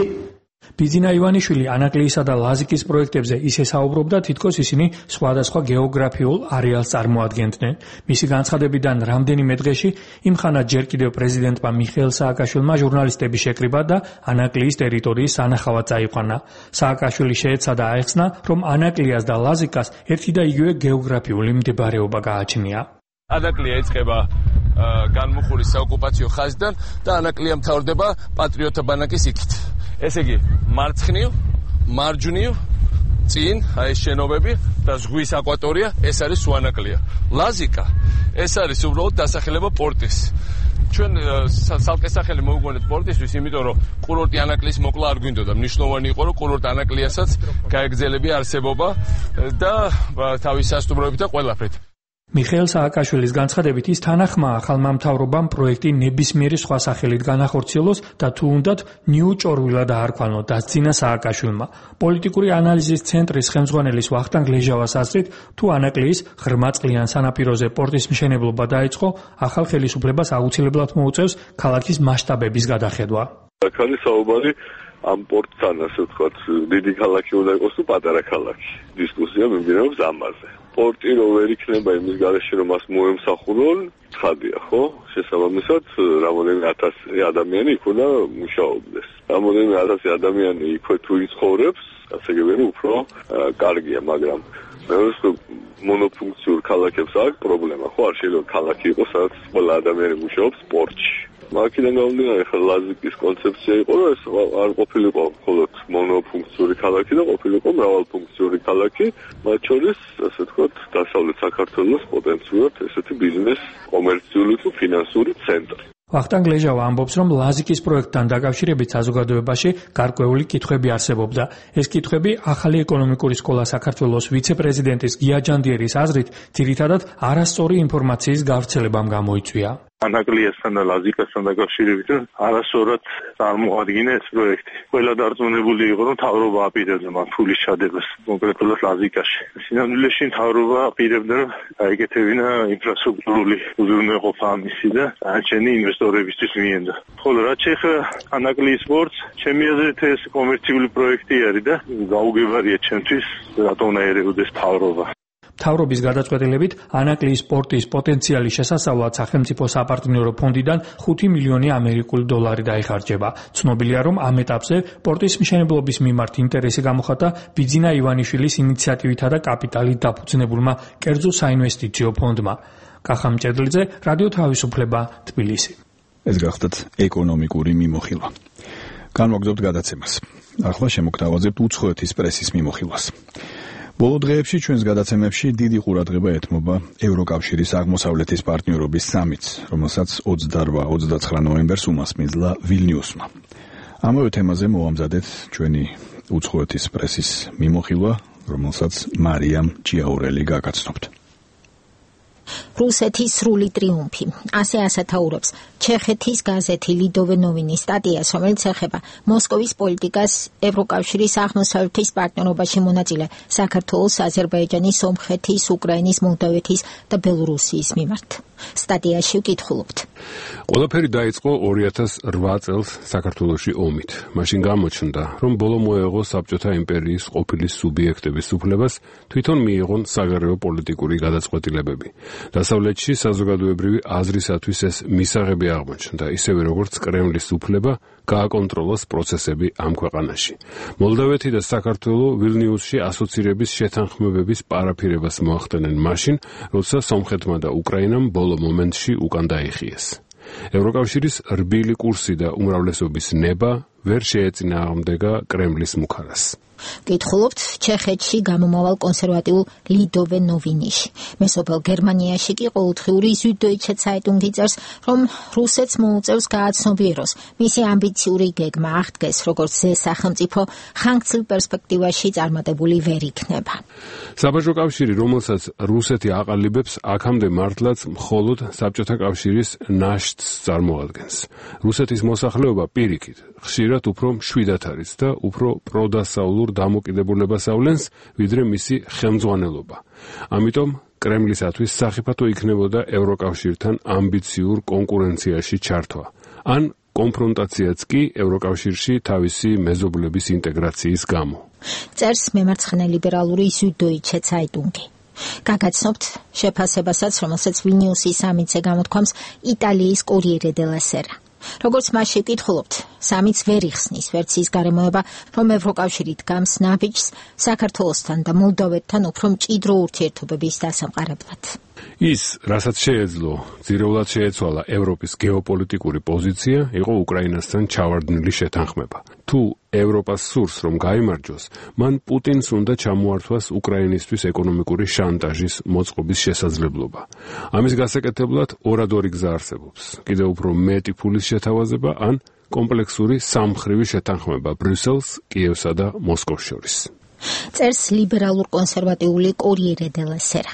ბიძინა ივანიშვილი ანაკლიისა და ლაზიკის პროექტებზე ისე საუბრობდა, თითქოს ისინი სხვადასხვა გეოგრაფიულ არეალს წარმოადგენდნენ. მისი განცხადებიდან რამდენიმე დღეში იმხანად ჯერ კიდევ პრეზიდენტმა მიხეილ სააკაშვილმა ჟურნალისტების შეკრიბა და ანაკლიის ტერიტორიის სანახავად წაიყვანა. სააკაშვილი შეეცადა აეხსნა, რომ ანაკლიას და ლაზიკას ერთი და იგივე გეოგრაფიული მდებარეობა გააჩნია. ანაკლია იწყება განმუხურის საოკუპაციო ხაზიდან და ანაკლია მთავრდება პატრიოტთა ბანაკის იქით. ესე იგი, მარცხნივ, მარჯვნივ, წინ, აი ეს შენობები და ზღვის აკვატორია, ეს არის სუანაკლია. ლაზიკა, ეს არის უბრალოდ დასახელება პორტის. ჩვენ სალკე სახელი მოვიგონეთ პორტისთვის, იმიტომ რომ კურორტი ანაკლიის მოკლა არ გვინდოდა. მნიშვნელოვანი იყო, რომ კურორტ ანაკლიასაც გაეგრძელებია არსებობა და თავის სასტუმროებით და ყველაფრით. მიხეილ სააკაშვილის განცხადებით ის თანახმაა ახალმა მთავრობამ პროექტი ნებისმიერი სხვა სახელით განახორციელოს და თუ უნდათ ნიუ-ჭორვილა დაარქვანო დასძინა სააკაშვილმა. პოლიტიკური ანალიზის ცენტრის ხელმძღვანელის ვახტანგ ლეჟავას აზრით, თუ ანაკლიის ღრმაწყლიან სანაპიროზე პორტის მშენებლობა დაიწყო, ახალ ხელისუფლებას აუცილებლად მოუწევს ქალაქის მასშტაბების გადახედვა. აქ არის საუბარი ამ პორტთან, ასე ვთქვათ, დიდი ქალაქი უნდა იყოს თუ პატარა ქალაქი. დისკუსია მიმდინარეობს ამაზე. პორტი რო ვერ იქნება იმის გარეშე, რომ მას მოემსახურონ, ცხადია, ხო? შესაბამისად, რამოდენიმე 1000 ადამიანი იქ უნდა მუშაობდეს. რამოდენიმე 1000 ადამიანი იქ თუ იცხოვრებს, ასე გებერი უფრო კარგია, მაგრამ მეორე მონოფუნქციურ ქალაქებს აქვს პრობლემა, ხო? არ შეიძლება ქალაქი იყოს, სადაც ყველა ადამიანი მუშაობს პორტში. მაქედან გამომდინარე, ხა ლაზიკის კონცეფცია იყო, რომ ეს არ ყოფილიყო მხოლოდ მონოფუნქციური ქალაქი და ყოფილიყო მრავალფუნქციური ქალაქი, მათ შორის, ასე ვთქვათ, დასავლეთ საქართველოს პოტენციურად ესეთი ბიზნეს, კომერციული თუ ფინანსური ცენტრი. ვახტანგ ლეჟავა ამბობს, რომ ლაზიკის პროექტთან დაკავშირებით საზოგადოებაში გარკვეული კითხვები არსებობდა. ეს კითხვები ახალი ეკონომიკური სკოლა საქართველოს ვიცე-პრეზიდენტის გია ჯანდიერის აზრით, ძირითადად არასწორი ინფორმაციის გავრცელებამ გამოიწვია. ანაკლიასთან და ლაზიკასთან დაკავშირებით არასწორად წარმოადგინა ეს პროექტი. ყველა დარწმუნებული იყო, რომ მთავრობა აპირებდა მათ ფულის ჩადებას, კონკრეტულად ლაზიკაში. სინამდვილეში მთავრობა აპირებდა, რომ გაეკეთებინა ინფრასტრუქტურული უზრუნველყოფა ამისი და დანარჩენი ინვესტორებისთვის მიენდა. ხოლო რაც შეეხება ანაკლიის პორტს, ჩემი აზრით ეს კომერციული პროექტი არის და გაუგებარია ჩემთვის, რატომ უნდა ერეოდეს მთავრობა. მთავრობის გადაწყვეტილებით ანაკლიის პორტის პოტენციალი შესასწავლად სახელმწიფო საპარტნიორო ფონდიდან 5 მილიონი ამერიკული დოლარი დაიხარჯება. ცნობილია, რომ ამ ეტაპზე პორტის მშენებლობის მიმართ ინტერესი გამოხატა ბიძინა ივანიშვილის ინიციატივითა და კაპიტალით დაფუძნებულმა კერძო საინვესტიციო ფონდმა. კახა მჭედლიძე, რადიო თავისუფლება, თბილისი. ეს გახდათ ეკონომიკური მიმოხილვა. განვაგრძობთ გადაცემას. ახლა შემოგთავაზებთ უცხოეთის პრესის მიმოხილვას. ბოლო დღეებში ჩვენს გადაცემებში დიდი ყურადღება ეთმობა ევროკავშირის აღმოსავლეთის პარტნიორობის სამიტს, რომელსაც 28-29 ნოემბერს უმასპინძლა ვილნიუსმა. ამავე თემაზე მოვამზადეთ ჩვენი უცხოეთის პრესის მიმოხილვა, რომელსაც მარიამ ჭიაურელი გაგაცნობთ. რუსეთის სრული ტრიუმფი. ასე ასათაურებს ჩეხეთის გაზეთი ლიდოვე ნოვინის სტატიას, რომელიც ეხება მოსკოვის პოლიტიკას ევროკავშირის აღმოსავლეთის პარტნიორობაში მონაწილე საქართველოს, აზერბაიჯანის, სომხეთის, უკრაინის, მოლდოვეთის და ბელორუსიის მიმართ. სტატიაში ვკითხულობთ. ყველაფერი დაიწყო 2008 წელს საქართველოში ომით. მაშინ გამოჩნდა, რომ ბოლო მოეღო საბჭოთა იმპერიის ყოფილი სუბიექტების უფლებას თვითონ მიიღონ საგარეო პოლიტიკური გადაწყვეტილებები. დასავლეთში საზოგადოებრივი აზრისათვის ეს მისაღები აღმოჩნდა, ისევე როგორც კრემლის უფლება გააკონტროლოს პროცესები ამ ქვეყანაში. მოლდოვეთი და საქართველო ვილნიუსში ასოცირების შეთანხმებების პარაფირებას მოახდენენ მაშინ, როცა სომხეთმა და უკრაინამ ბოლო მომენტში უკან დაიხიეს. ევროკავშირის რბილი კურსი და უმრავლესობის ნება ვერ შეეწინააღმდეგა კრემლის მუქარას. გითხულობთ ჩეხეთში გამომავალ კონსერვატიულ ლიდოვე ნოვინიში. მესოფელ გერმანიაში კი ყოველდღიური ზუიდოიჩე ცაიტუნგი წერს, რომ რუსეთს მოუწევს გააცნობიეროს მისი ამბიციური გეგმა აღდგეს, როგორც ზე სახელმწიფო ხანგრძლივ პერსპექტივაში წარმატებული ვერ იქნება. საბაჟო კავშირი, რომელსაც რუსეთი აყალიბებს, აქამდე მართლაც მხოლოდ საბჭოთა კავშირის ნაშთს წარმოადგენს. რუსეთის მოსახლეობა პირიქით ხშირად უფრო მშვიდად არის და უფრო პროდასავლურ დამოკიდებულებას ავლენს, ვიდრე მისი ხელმძღვანელობა. ამიტომ კრემლისათვის სახიფათო იქნებოდა ევროკავშირთან ამბიციურ კონკურენციაში ჩართვა. ან კონფრონტაციაც კი ევროკავშირში თავისი მეზობლების ინტეგრაციის გამო. წერს მემარცხენე ლიბერალური ზუიდოიჩე ცაიტუნგი. გაგაცნობთ შეფასებასაც, რომელსაც ვილნიუსის სამიტზე გამოთქვამს იტალიის კორიერე დელა სერა. როგორც მასში ვკითხულობთ, სამიტს ვერ იხსნის ვერც ის გარემოება, რომ ევროკავშირი დგამს ნაბიჯს საქართველოსთან და მოლდოვეთთან უფრო მჭიდრო ურთიერთობების დასამყარებლად. ის, რასაც შეეძლო, ძირეულად შეეცვალა ევროპის გეოპოლიტიკური პოზიცია, იყო უკრაინასთან ჩავარდნილი შეთანხმება. თუ ევროპას სურს, რომ გაიმარჯვოს, მან პუტინს უნდა ჩამოართვას უკრაინისთვის ეკონომიკური შანტაჟის მოწყობის შესაძლებლობა. ამის გასაკეთებლად ორადორი გზა არსებობს. კიდევ უფრო მეტი ფულის შეთავაზება ან კომპლექსური სამმხრივი შეთანხმება ბრიუსელს, კიევსა და მოსკოვს შორის. წერს ლიბერალურ კონსერვატიული კორიერე დელა სერა.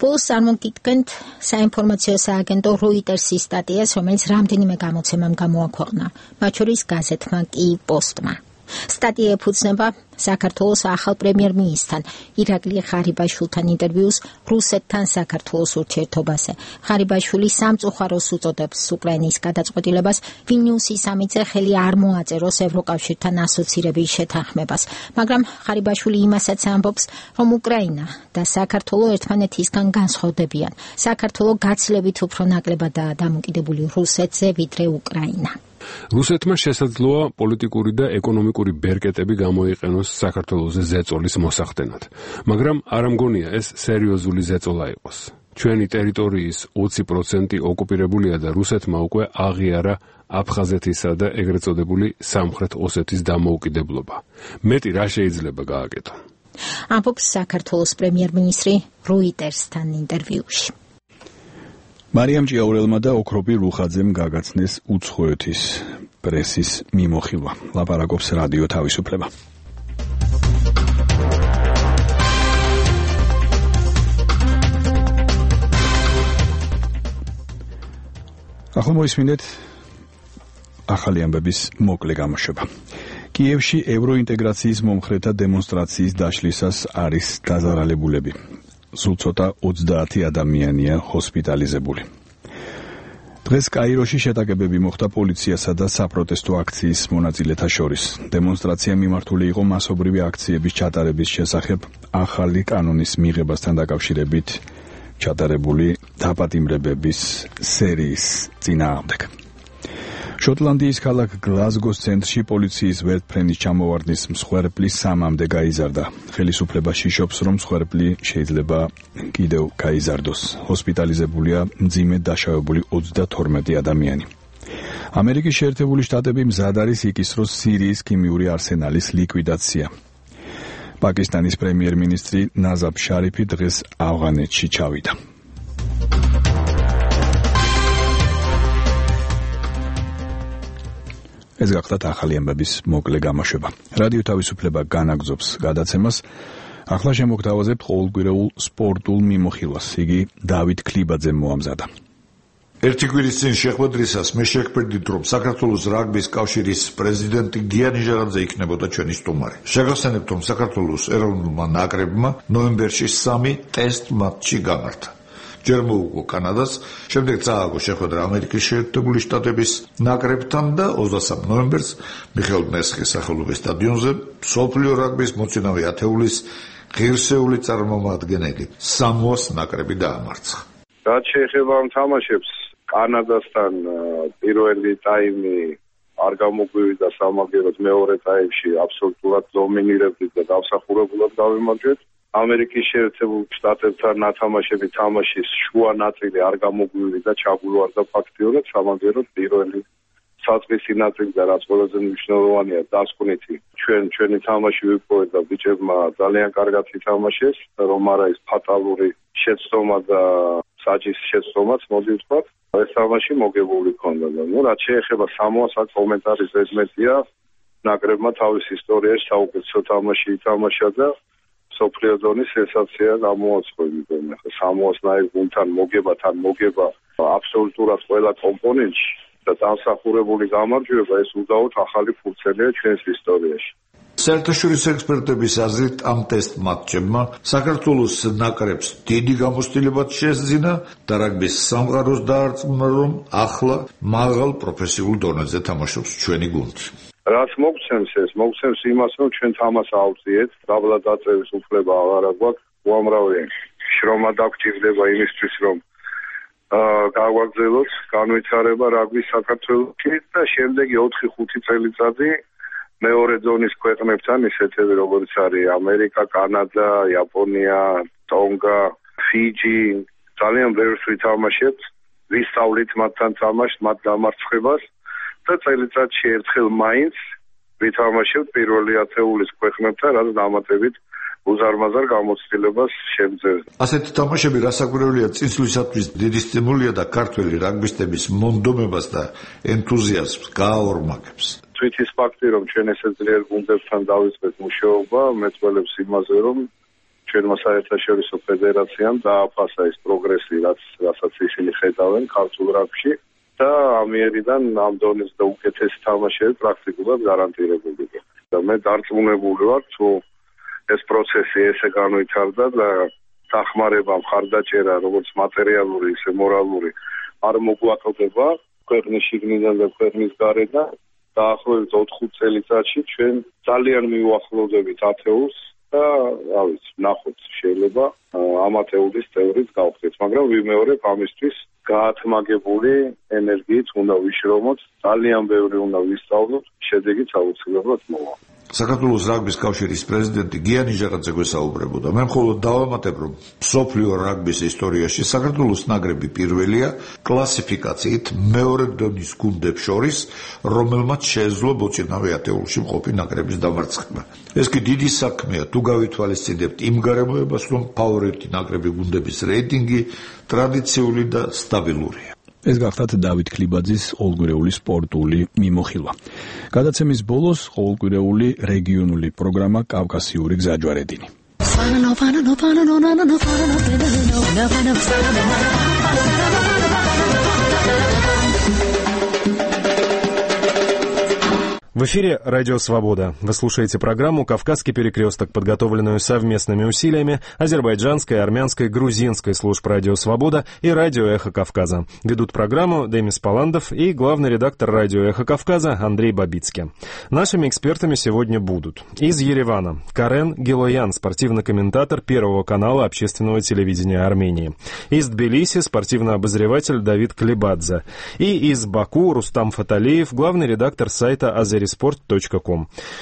ბოლოს წარმოგიდგენთ საინფორმაციო სააგენტო როიტერსის სტატიას, რომელიც რამდენიმე გამოცემამ გამოაქვეყნა, მათ შორის გაზეთმა კი პოსტმა. სტატია ეფუძნება საქართველოს ახალ პრემიერ-მინისტრთან ირაკლი ღარიბაშვილთან ინტერვიუს რუსეთთან საქართველოს ურთიერთობაზე. ღარიბაშვილი სამწუხაროს უწოდებს უკრაინის გადაწყვეტილებას ვილნიუსის სამიტზე ხელი არ მოაწეროს ევროკავშირთან ასოცირების შეთანხმებას, მაგრამ ღარიბაშვილი იმასაც ამბობს, რომ უკრაინა და საქართველო ერთმანეთისგან განსხვავდებიან. საქართველო გაცილებით უფრო ნაკლებადაა დამოკიდებული რუსეთზე, ვიდრე უკრაინა. რუსეთმა შესაძლოა პოლიტიკური და ეკონომიკური ბერკეტები გამოიყენოს საქართველოზე ზეწოლის მოსახდენად, მაგრამ არ მგონია ეს სერიოზული ზეწოლა იყოს. ჩვენი ტერიტორიის 20% ოკუპირებულია და რუსეთმა უკვე აღიარა აფხაზეთისა და ეგრეთ წოდებული სამხრეთ ოსეთის დამოუკიდებლობა. მეტი რა შეიძლება გააკეთონ? ამბობს საქართველოს პრემიერ-მინისტრი როიტერსთან ინტერვიუში. მარიამ ჭიაურელმა და ოქროპი რუხაძემ გაგაცნეს უცხოეთის პრესის მიმოხილვა. ლაპარაკობს რადიო თავისუფლება. ახლა მოისმინეთ ახალი ამბების მოკლე გამოშვება. კიევში ევროინტეგრაციის მომხრეთა დემონსტრაციის დაშლისას არის დაზარალებულები. სულ ცოტა 30 ადამიანია ჰოსპიტალიზებული. დღეს კაიროში შეტაკებები მოხდა პოლიციასა და საპროტესტო აქციის მონაწილეთა შორის. დემონსტრაცია მიმართული იყო მასობრივი აქციების ჩატარების შესახებ ახალი კანონის მიღებასთან დაკავშირებით ჩატარებული დაპატიმრებების სერიის წინააღმდეგ. შოტლანდიის ქალაქ გლაზგოს ცენტრში პოლიციის ვერტფრენის ჩამოვარდნის მსხვერპლი 3-მდე გაიზარდა. ხელისუფლებაში შობს, რომ მსხვერპლი შეიძლება კიდევ გაიზარდოს. ჰოსპიტალიზებულია მძიმედ დაშავებული 32 ადამიანი. ამერიკის შეერთებული შტატები მზად არის იკისროს სირიის ქიმიური არსენალის ლიკვიდაცია. პაკისტანის პრემიერ-მინისტრი ნაზაბ შარიფი დღეს ავღანეთში ჩავიდა. ეს გახლავთ ახალი ამბების მოკლე გამოშვება. რადიო თავისუფლება განაგრძობს გადაცემას. ახლა შემოგთავაზებთ ყოველკვირეულ სპორტულ მიმოხილვას. იგი დავით ქლიბაძემ მოამზადა. ერთი კვირის წინ შეხვედრისას მე შეგფრთხილდით, რომ საქართველოს რაგბის კავშირის პრეზიდენტი გიანი ჟაღაძე იქნებოდა ჩვენი სტუმარი. შეგახსენებთ, რომ საქართველოს ეროვნულმა ნაკრებმა ნოემბერში 3 ტესტ მატჩი გამართა. ჯერ მოუგო კანადას, შემდეგ წააგო შეხვედრა ამერიკის შეერთებული შტატების ნაკრებთან და 23 ნოემბერს მიხეილ მესხის სახელობის სტადიონზე მსოფლიო რაგბის მოწინავე ათეულის ღირსეული წარმომადგენელი სამოას ნაკრები დაამარცხა. რაც შეეხება ამ თამაშებს, კანადასთან პირველი ტაიმი არ გამოგვივიდა სამაგეროდ, მეორე ტაიმში აბსოლუტურად დომინირებდით და დამსახურებულად გავიმარჯვეთ. ამერიკის შეერთებულ შტატებთან ნათამაშები თამაშის შუა ნაწილი არ გამოგვივიდა, ჩაგულვარდა ფაქტიურად, სამაგეროდ პირველი საწყისი ნაწილი და რაც ყველაზე მნიშვნელოვანია, დასკვნითი ჩვენი თამაში ვიპოვეთ და ბიჭებმა ძალიან კარგად ითამაშეს, რომ არა ის ფატალური შეცდომა და საჭის შეცდომაც მოდი ვთქვათ, ეს თამაში მოგებული ქონდა და რაც შეეხება სამოას აქ კომენტარი ზედმეტია, ნაკრებმა თავის ისტორიაში საუკეთესო თამაში ითამაშა და სოფლიო ზონის სენსაცია გამოაცხადა. სამოასნაირ გუნდთან მოგება აბსოლუტურად ყველა კომპონენტში და დამსახურებული გამარჯვება ეს უდაოდ ახალი ფურცელია ჩვენს ისტორიაში. საერთაშორისო ექსპერტების აზრით ამ ტესტ მატჩებმა საქართველოს ნაკრებს დიდი გამოცდილებაც შესძინა და რაგბის სამყაროს დაარწმუნა, რომ ახლა მაღალ პროფესიულ დონეზე თამაშობს ჩვენი გუნდი. რაც მოგცემს იმას, რომ ჩვენ თამას ავწიეთ, დაბლა დაწევის უფლება აღარა გვაქვს, უამრავი შრომა დაგჭირდება იმისთვის, რომ გავაგრძელოთ განვითარება რაგბის საქართველოში და შემდეგი 4-5 წელიწადი მეორე ზონის ქვეყნებთან, ისეთები როგორც არის ამერიკა, კანადა, იაპონია, ტონგა, ფიჯი, ძალიან ბევრს ვითამაშებთ, ვისწავლით მათთან თამაშს, მათ დამარცხებას და წელიწადში ერთხელ მაინც ვითამაშებთ პირველი ათეულის ქვეყნებთან, რაც დამატებით უზარმაზარ გამოცდილებას შემძევს. ასეთი თამაშები რასაკვირველია წინსვლისათვის დიდი სტიმულია და ქართველი რაგბისტების მონდომებას და ენთუზიაზმს გააორმაგებს. თვითის ფაქტი, რომ ჩვენ ესე ძლიერ გუნდებთან დავიწყეთ მუშაობა, მეწველებს იმაზე, რომ ჩვენმა საერთაშორისო ფედერაციამ დააფასა ის პროგრესი, რასაც ისინი ხედავენ ქართულ რაგბში და ამიერიდან ამ დონის და უკეთესი თამაშები პრაქტიკულად გარანტირებულია. და მე დარწმუნებული ვარ, თუ ეს პროცესი ესე განვითარდა და დახმარება, მხარდაჭერა, როგორც მატერიალური, ისე მორალური არ მოგვაწოდება ქვეყნის შიგნიდან და ქვეყნის გარედან. დაახლოებით 4-5 წელიწადში ჩვენ ძალიან მივუახლოვდებით ათეულს და ნახოთ შეიძლება ამ ათეულის თეორიით გავხდეთ, მაგრამ ვიმეორებ ამისთვის გაათმაგებული ენერგიით უნდა ვიშრომოთ, ძალიან ბევრი უნდა ვისწავლოთ, შედეგიც აუცილებლად მოვა. საქართველოს რაგბის კავშირის პრეზიდენტი გიანი ჟაღაძე გვესაუბრებოდა. მე მხოლოდ დავამატებ, რომ მსოფლიო რაგბის ისტორიაში საქართველოს ნაკრები პირველია კლასიფიკაციით მეორე დონის გუნდებს შორის, რომელმაც შეეძლო მოწინავე ათეულში მყოფი ნაკრების დამარცხება. ეს კი დიდი საქმეა, თუ გავითვალისწინებთ იმ გარემოებას, რომ ფავორიტი ნაკრები გუნდების რეიტინგი ტრადიციული და სტაბილურია. ეს გახლავთ დავით ქლიბაძის ყოველკვირეული სპორტული მიმოხილვა. გადაცემის ბოლოს ყოველკვირეული რეგიონული პროგრამა კავკასიური გზაჯვარედინი. В эфире «Радио Свобода». Вы слушаете программу «Кавказский перекресток», подготовленную совместными усилиями азербайджанской, армянской, грузинской служб «Радио Свобода» и «Радио Эхо Кавказа». Ведут программу Демис Паландов и главный редактор «Радио Эхо Кавказа» Андрей Бабицкий. Нашими экспертами сегодня будут из Еревана Карен Гилоян, спортивный комментатор Первого канала общественного телевидения Армении. Из Тбилиси спортивный обозреватель Давид Клебадзе. И из Баку Рустам Фаталиев, главный редактор сайта azerisport.com.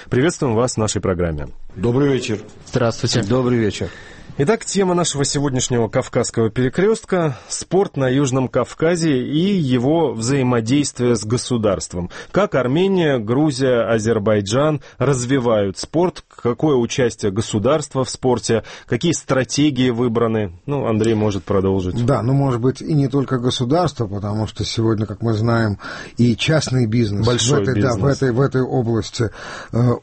Приветствуем вас в нашей программе. Добрый вечер. Здравствуйте. Добрый вечер. Итак, тема нашего сегодняшнего Кавказского перекрестка – спорт на Южном Кавказе и его взаимодействие с государством. Как Армения, Грузия, Азербайджан развивают спорт, какое участие государства в спорте, какие стратегии выбраны. Андрей может продолжить. Да, может быть и не только государство, потому что сегодня, как мы знаем, и частный бизнес, в этой области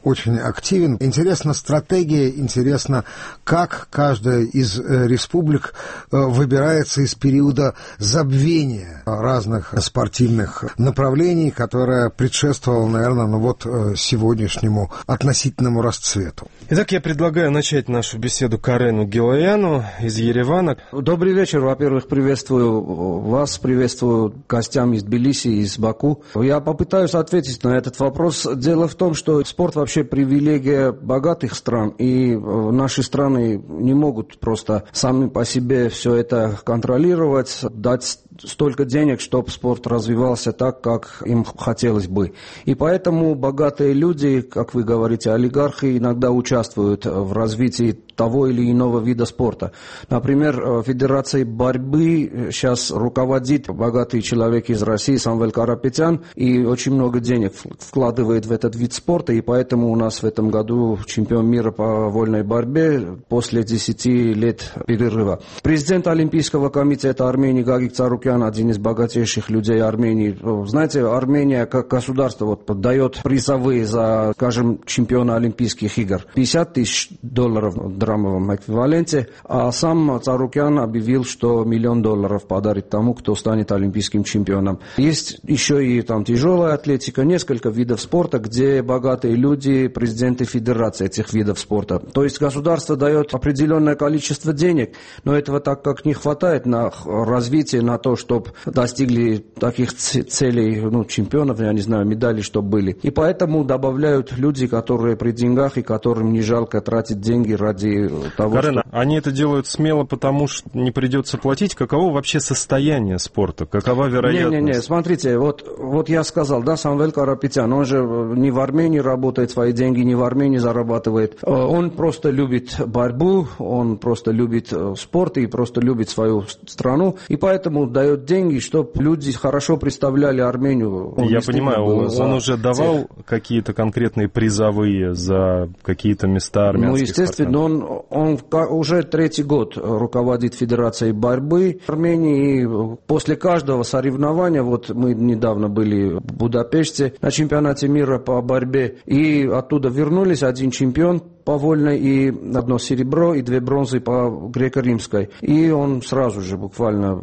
очень активен. Интересна стратегия, интересно, как каждая из республик выбирается из периода забвения разных спортивных направлений, которое предшествовало, наверное, сегодняшнему относительному расцвету. Итак, я предлагаю начать нашу беседу Карену Гилояну из Еревана. Добрый вечер. Во-первых, приветствую вас, приветствую гостям из Тбилиси, из Баку. Я попытаюсь ответить на этот вопрос. Дело в том, что спорт вообще привилегия богатых стран, и наши страны не могут просто сами по себе все это контролировать, дать столько денег, чтобы спорт развивался так, как им хотелось бы. И поэтому богатые люди, как вы говорите, олигархи, иногда участвуют в развитии того или иного вида спорта. Например, Федерацией борьбы сейчас руководит богатый человек из России Самвел Карапетян и очень много денег вкладывает в этот вид спорта, и поэтому у нас в этом году чемпион мира по вольной борьбе после 10 лет перерыва. Президент Олимпийского комитета Армении Гагик Царукян, один из богатейших людей Армении. Знаете, Армения как государство дает призовые за, скажем, чемпиона Олимпийских игр. $50 тысяч в драмовом эквиваленте, а сам Царукян объявил, что $1 миллион подарит тому, кто станет олимпийским чемпионом. Есть еще и тяжелая атлетика, несколько видов спорта, где богатые люди, президенты федерации этих видов спорта. То есть государство дает определенное количество денег, но этого так как не хватает на развитие, на то, чтобы достигли таких целей, чемпионов, я не знаю, медалей, чтобы были. И поэтому добавляют люди, которые при деньгах и которым не жалко тратить деньги ради того, Карена, они это делают смело, потому что не придется платить. Каково вообще состояние спорта? Какова вероятность? Не, смотрите, вот я сказал, Самвел Карапетян, он же не в Армении работает, свои деньги не в Армении зарабатывает. Он просто любит борьбу, он просто любит спорт и просто любит свою страну, и поэтому дает деньги, чтобы люди хорошо представляли Армению. Я понимаю, он уже давал какие-то конкретные призовые за какие-то места армянских естественно, он уже 3-й год руководит Федерацией борьбы в Армении, и после каждого соревнования, мы недавно были в Будапеште на чемпионате мира по борьбе, и оттуда вернулись один чемпион по вольной и 1 серебро и 2 бронзы по греко-римской. И он сразу же буквально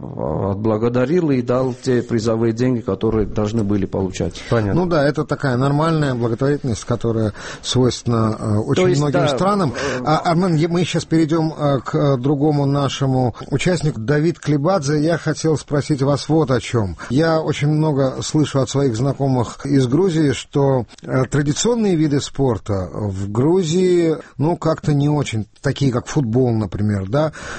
отблагодарил и дал те призовые деньги, которые должны были получать. Понятно. Это такая нормальная благотворительность, которая свойственна очень многим странам. Мы сейчас перейдем к другому нашему участнику, Давид Клебадзе. Я хотел спросить вас вот о чем. Я очень много слышу от своих знакомых из Грузии, что традиционные виды спорта в Грузии как-то не очень, такие как футбол, например,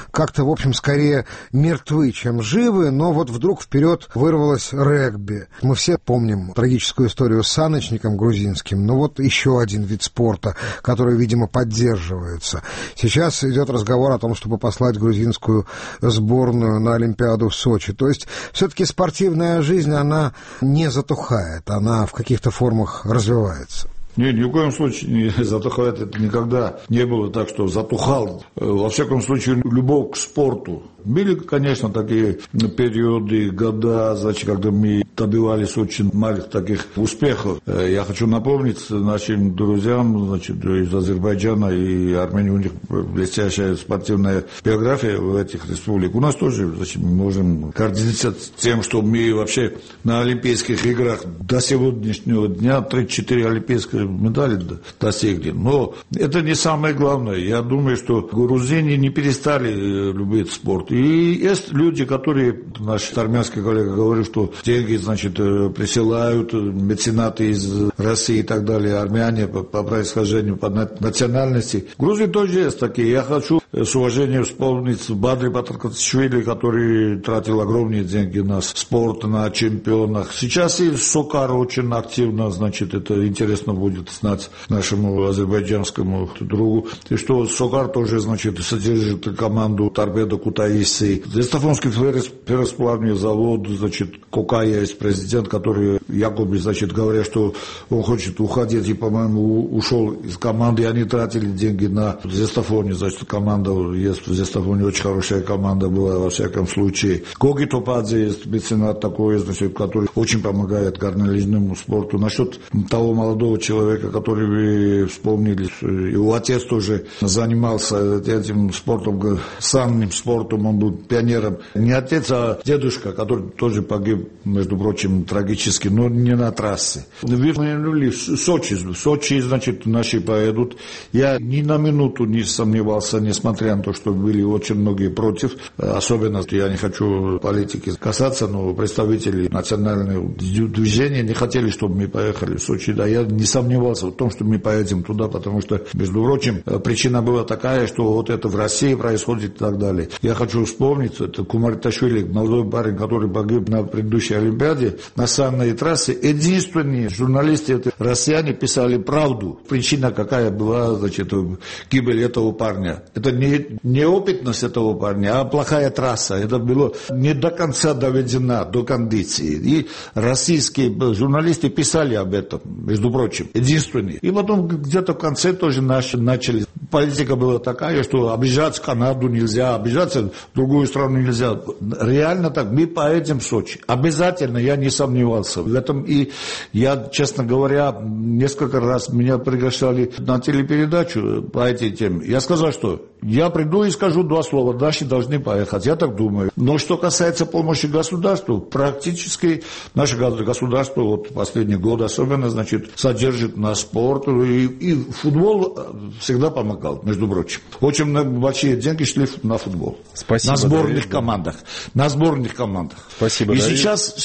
как-то, в общем, скорее мертвы, чем живы, но вдруг вперед вырвалось регби. Мы все помним трагическую историю с саночником грузинским, еще один вид спорта, который, видимо, поддерживается. Сейчас идет разговор о том, чтобы послать грузинскую сборную на Олимпиаду в Сочи. То есть все-таки спортивная жизнь, она не затухает, она в каких-то формах развивается. Нет, ни в коем случае не затухает. Это никогда не было так, что затухал. Во всяком случае, любовь к спорту. Были, конечно, такие периоды, года, когда мы добивались очень малых таких успехов. Я хочу напомнить нашим друзьям, значит, из Азербайджана и Армении, у них блестящая спортивная биография в этих республиках. У нас тоже, значит, мы можем гордиться тем, что мы вообще на Олимпийских играх до сегодняшнего дня 34 олимпийские медали достигли. Но это не самое главное. Я думаю, что грузины не перестали любить спорт. И есть люди, которые, наш армянский коллега говорит, что деньги, значит, присылают меценаты из России и так далее, армяне по происхождению, по национальности. В Грузии тоже есть такие. Я хочу с уважением вспомнить Бадри Батыркачвили, который тратил огромные деньги на спорт, на чемпионах. Сейчас и Сокар очень активно, значит, это интересно будет знать нашему азербайджанскому другу. И что Сокар тоже, значит, содержит команду Торпедо Кутаиси. Зестафонский ферросплавный завод, значит, Кокая есть президент, который якобы, значит, говорят, что он хочет уходить, и, по-моему, ушел из команды, и они тратили деньги на Зестафоне, значит, команда есть в Зестафоне, очень хорошая команда была, во всяком случае. Гоги Топадзе есть меценат такой, значит, который очень помогает горнолыжному спорту. Насчет того молодого человека, который вы вспомнили, его отец тоже занимался этим спортом, санным спортом, он был пионером. Не отец, а дедушка, который тоже погиб, между прочим, трагически, но не на трассе. Вы упомянули Сочи, значит, наши поедут. Я ни на минуту не сомневался, несмотря на то, что были очень многие против. Особенно, я не хочу политики касаться, но представители национального движения не хотели, чтобы мы поехали в Сочи. Да, я не сомневался в том, что мы поедем туда, потому что, между прочим, причина была такая, что вот это в России происходит и так далее. Я хочу вспомнить, это Кумарташвили, молодой парень, который погиб на предыдущей Олимпиаде, на санной трассе. Единственные журналисты, это россияне, писали правду. Причина какая была, значит, гибель этого парня. Это не неопытность этого парня, а плохая трасса. Это было не до конца доведено до кондиции. И российские журналисты писали об этом, между прочим, единственные. И потом где-то в конце тоже начали. Политика была такая, что обижаться Канаду нельзя, обижаться другую страну нельзя. Реально так, мы поедем в Сочи. Обязательно, я не сомневался в этом. И я, честно говоря, несколько раз меня приглашали на телепередачу по этой теме. Я сказал, что я приду и скажу два слова, наши должны поехать, я так думаю. Но что касается помощи государству, практически наше государство, вот последний год особенно, значит, содержит на спорт, и футбол всегда помогал, между прочим. Очень большие деньги шли на футбол. Спасибо, на сборных Давид, командах. На сборных командах. Спасибо, и Давид. сейчас,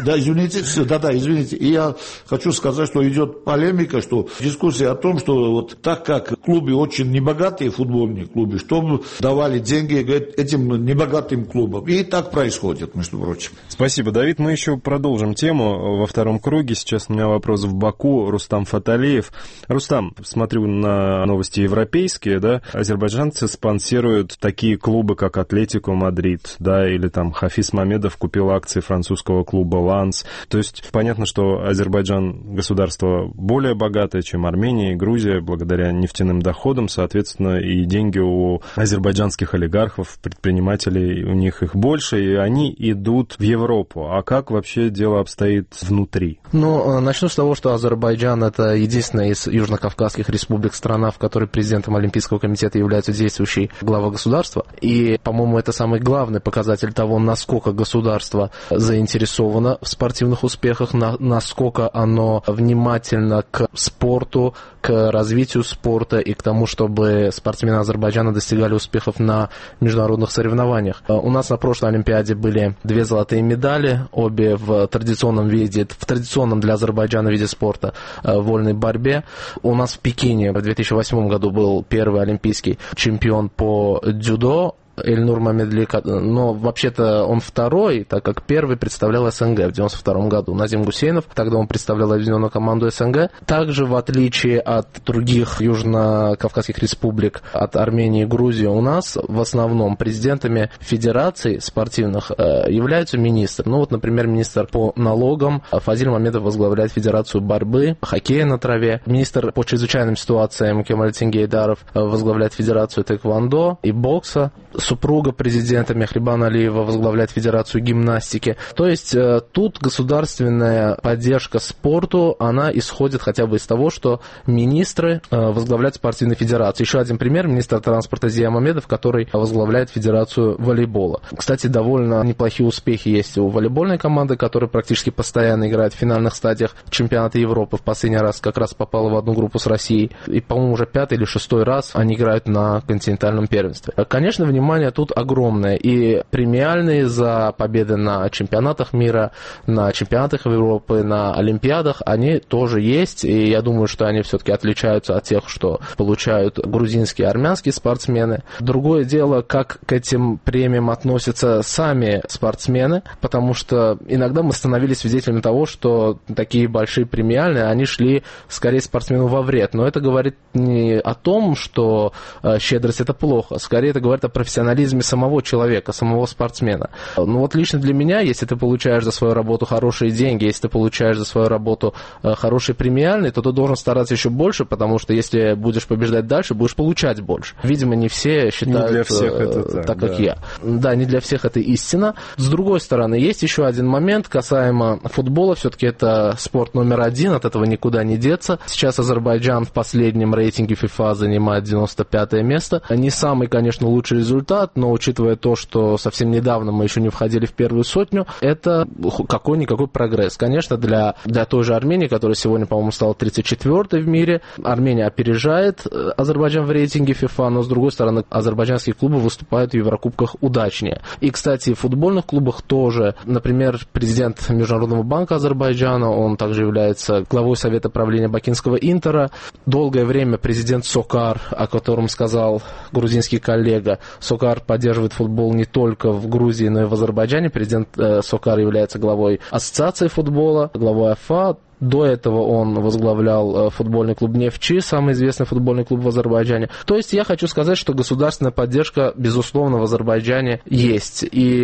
да, извините, извините. И я хочу сказать, что идет полемика, что дискуссия о том, что вот так как клубы очень небогатые, футбольные клубы, что давали деньги этим небогатым клубам. И так происходит, между прочим. Спасибо, Давид. Мы еще продолжим тему во втором круге. Сейчас у меня вопрос в Баку. Рустам Фаталиев. Рустам, смотрю на новости европейские, да, азербайджанцы спонсируют такие клубы, как Атлетико Мадрид, да, или там Хафиз Мамедов купил акции французского клуба Ланс. То есть понятно, что Азербайджан государство более богатое, чем Армения и Грузия, благодаря нефтяным доходам, соответственно, и деньги у азербайджанских олигархов, предпринимателей, у них их больше, и они идут в Европу. А как вообще дело обстоит внутри? Ну, начну с того, что Азербайджан — это единственная из южнокавказских республик страна, в которой президентом Олимпийского комитета является действующий глава государства. И, по-моему, это самый главный показатель того, насколько государство заинтересовано в спортивных успехах, насколько оно внимательно к спорту, к развитию спорта и к тому, чтобы спортсмены Азербайджана достигали успехов на международных соревнованиях. У нас на прошлой Олимпиаде были 2 золотые медали, обе в традиционном виде, в традиционном для Азербайджана виде спорта, вольной борьбе. У нас в Пекине в 2008 году был первый олимпийский чемпион по дзюдо, Эльнур Мамедли, но вообще-то он второй, так как первый представлял СНГ в 92 году. Назим Гусейнов, тогда он представлял объединенную команду СНГ. Также, в отличие от других южно-кавказских республик, от Армении и Грузии, у нас в основном президентами федераций спортивных являются министры. Ну вот, например, министр по налогам Фазиль Мамедов возглавляет Федерацию борьбы, хоккея на траве. Министр по чрезвычайным ситуациям Кемаль Тенгейдаров возглавляет Федерацию тэквондо и бокса. супруга президента Мехрибан Алиева возглавляет Федерацию гимнастики. То есть тут государственная поддержка спорту, она исходит хотя бы из того, что министры возглавляют спортивные федерации. Еще один пример, министр транспорта Зия Мамедов, который возглавляет Федерацию волейбола. Кстати, довольно неплохие успехи есть у волейбольной команды, которая практически постоянно играет в финальных стадиях чемпионата Европы. В последний раз как раз попала в одну группу с Россией. И, по-моему, уже 5-й или 6-й раз они играют на континентальном первенстве. Конечно, внимание тут огромное. И премиальные за победы на чемпионатах мира, на чемпионатах Европы, на Олимпиадах, они тоже есть. И я думаю, что они все-таки отличаются от тех, что получают грузинские и армянские спортсмены. Другое дело, как к этим премиям относятся сами спортсмены, потому что иногда мы становились свидетелями того, что такие большие премиальные, они шли скорее спортсмену во вред. Но это говорит не о том, что щедрость это плохо, скорее это говорит о профессионализме самого человека, самого спортсмена. Ну вот лично для меня, если ты получаешь за свою работу хорошие деньги, если ты получаешь за свою работу хорошие премиальные, то ты должен стараться еще больше, потому что если будешь побеждать дальше, будешь получать больше. Видимо, не все считают не для всех это так, как я. Да, не для всех это истина. С другой стороны, есть еще один момент касаемо футбола. Все-таки это спорт номер один, от этого никуда не деться. Сейчас Азербайджан в последнем рейтинге FIFA занимает 95-е место. Не самый, конечно, лучший результат, но учитывая то, что совсем недавно мы еще не входили в первую сотню, это какой-никакой прогресс. Конечно, для той же Армении, которая сегодня, по-моему, стала 34-й в мире, Армения опережает Азербайджан в рейтинге FIFA, но, с другой стороны, азербайджанские клубы выступают в Еврокубках удачнее. И, кстати, в футбольных клубах тоже. Например, президент Международного банка Азербайджана, он также является главой Совета правления бакинского Интера. Долгое время президент Сокар, о котором сказал грузинский коллега, Сокар поддерживает футбол не только в Грузии, но и в Азербайджане. Президент Сокар является главой Ассоциации футбола, главой АФА. До этого он возглавлял футбольный клуб «Нефчи», самый известный футбольный клуб в Азербайджане. То есть я хочу сказать, что государственная поддержка, безусловно, в Азербайджане есть. И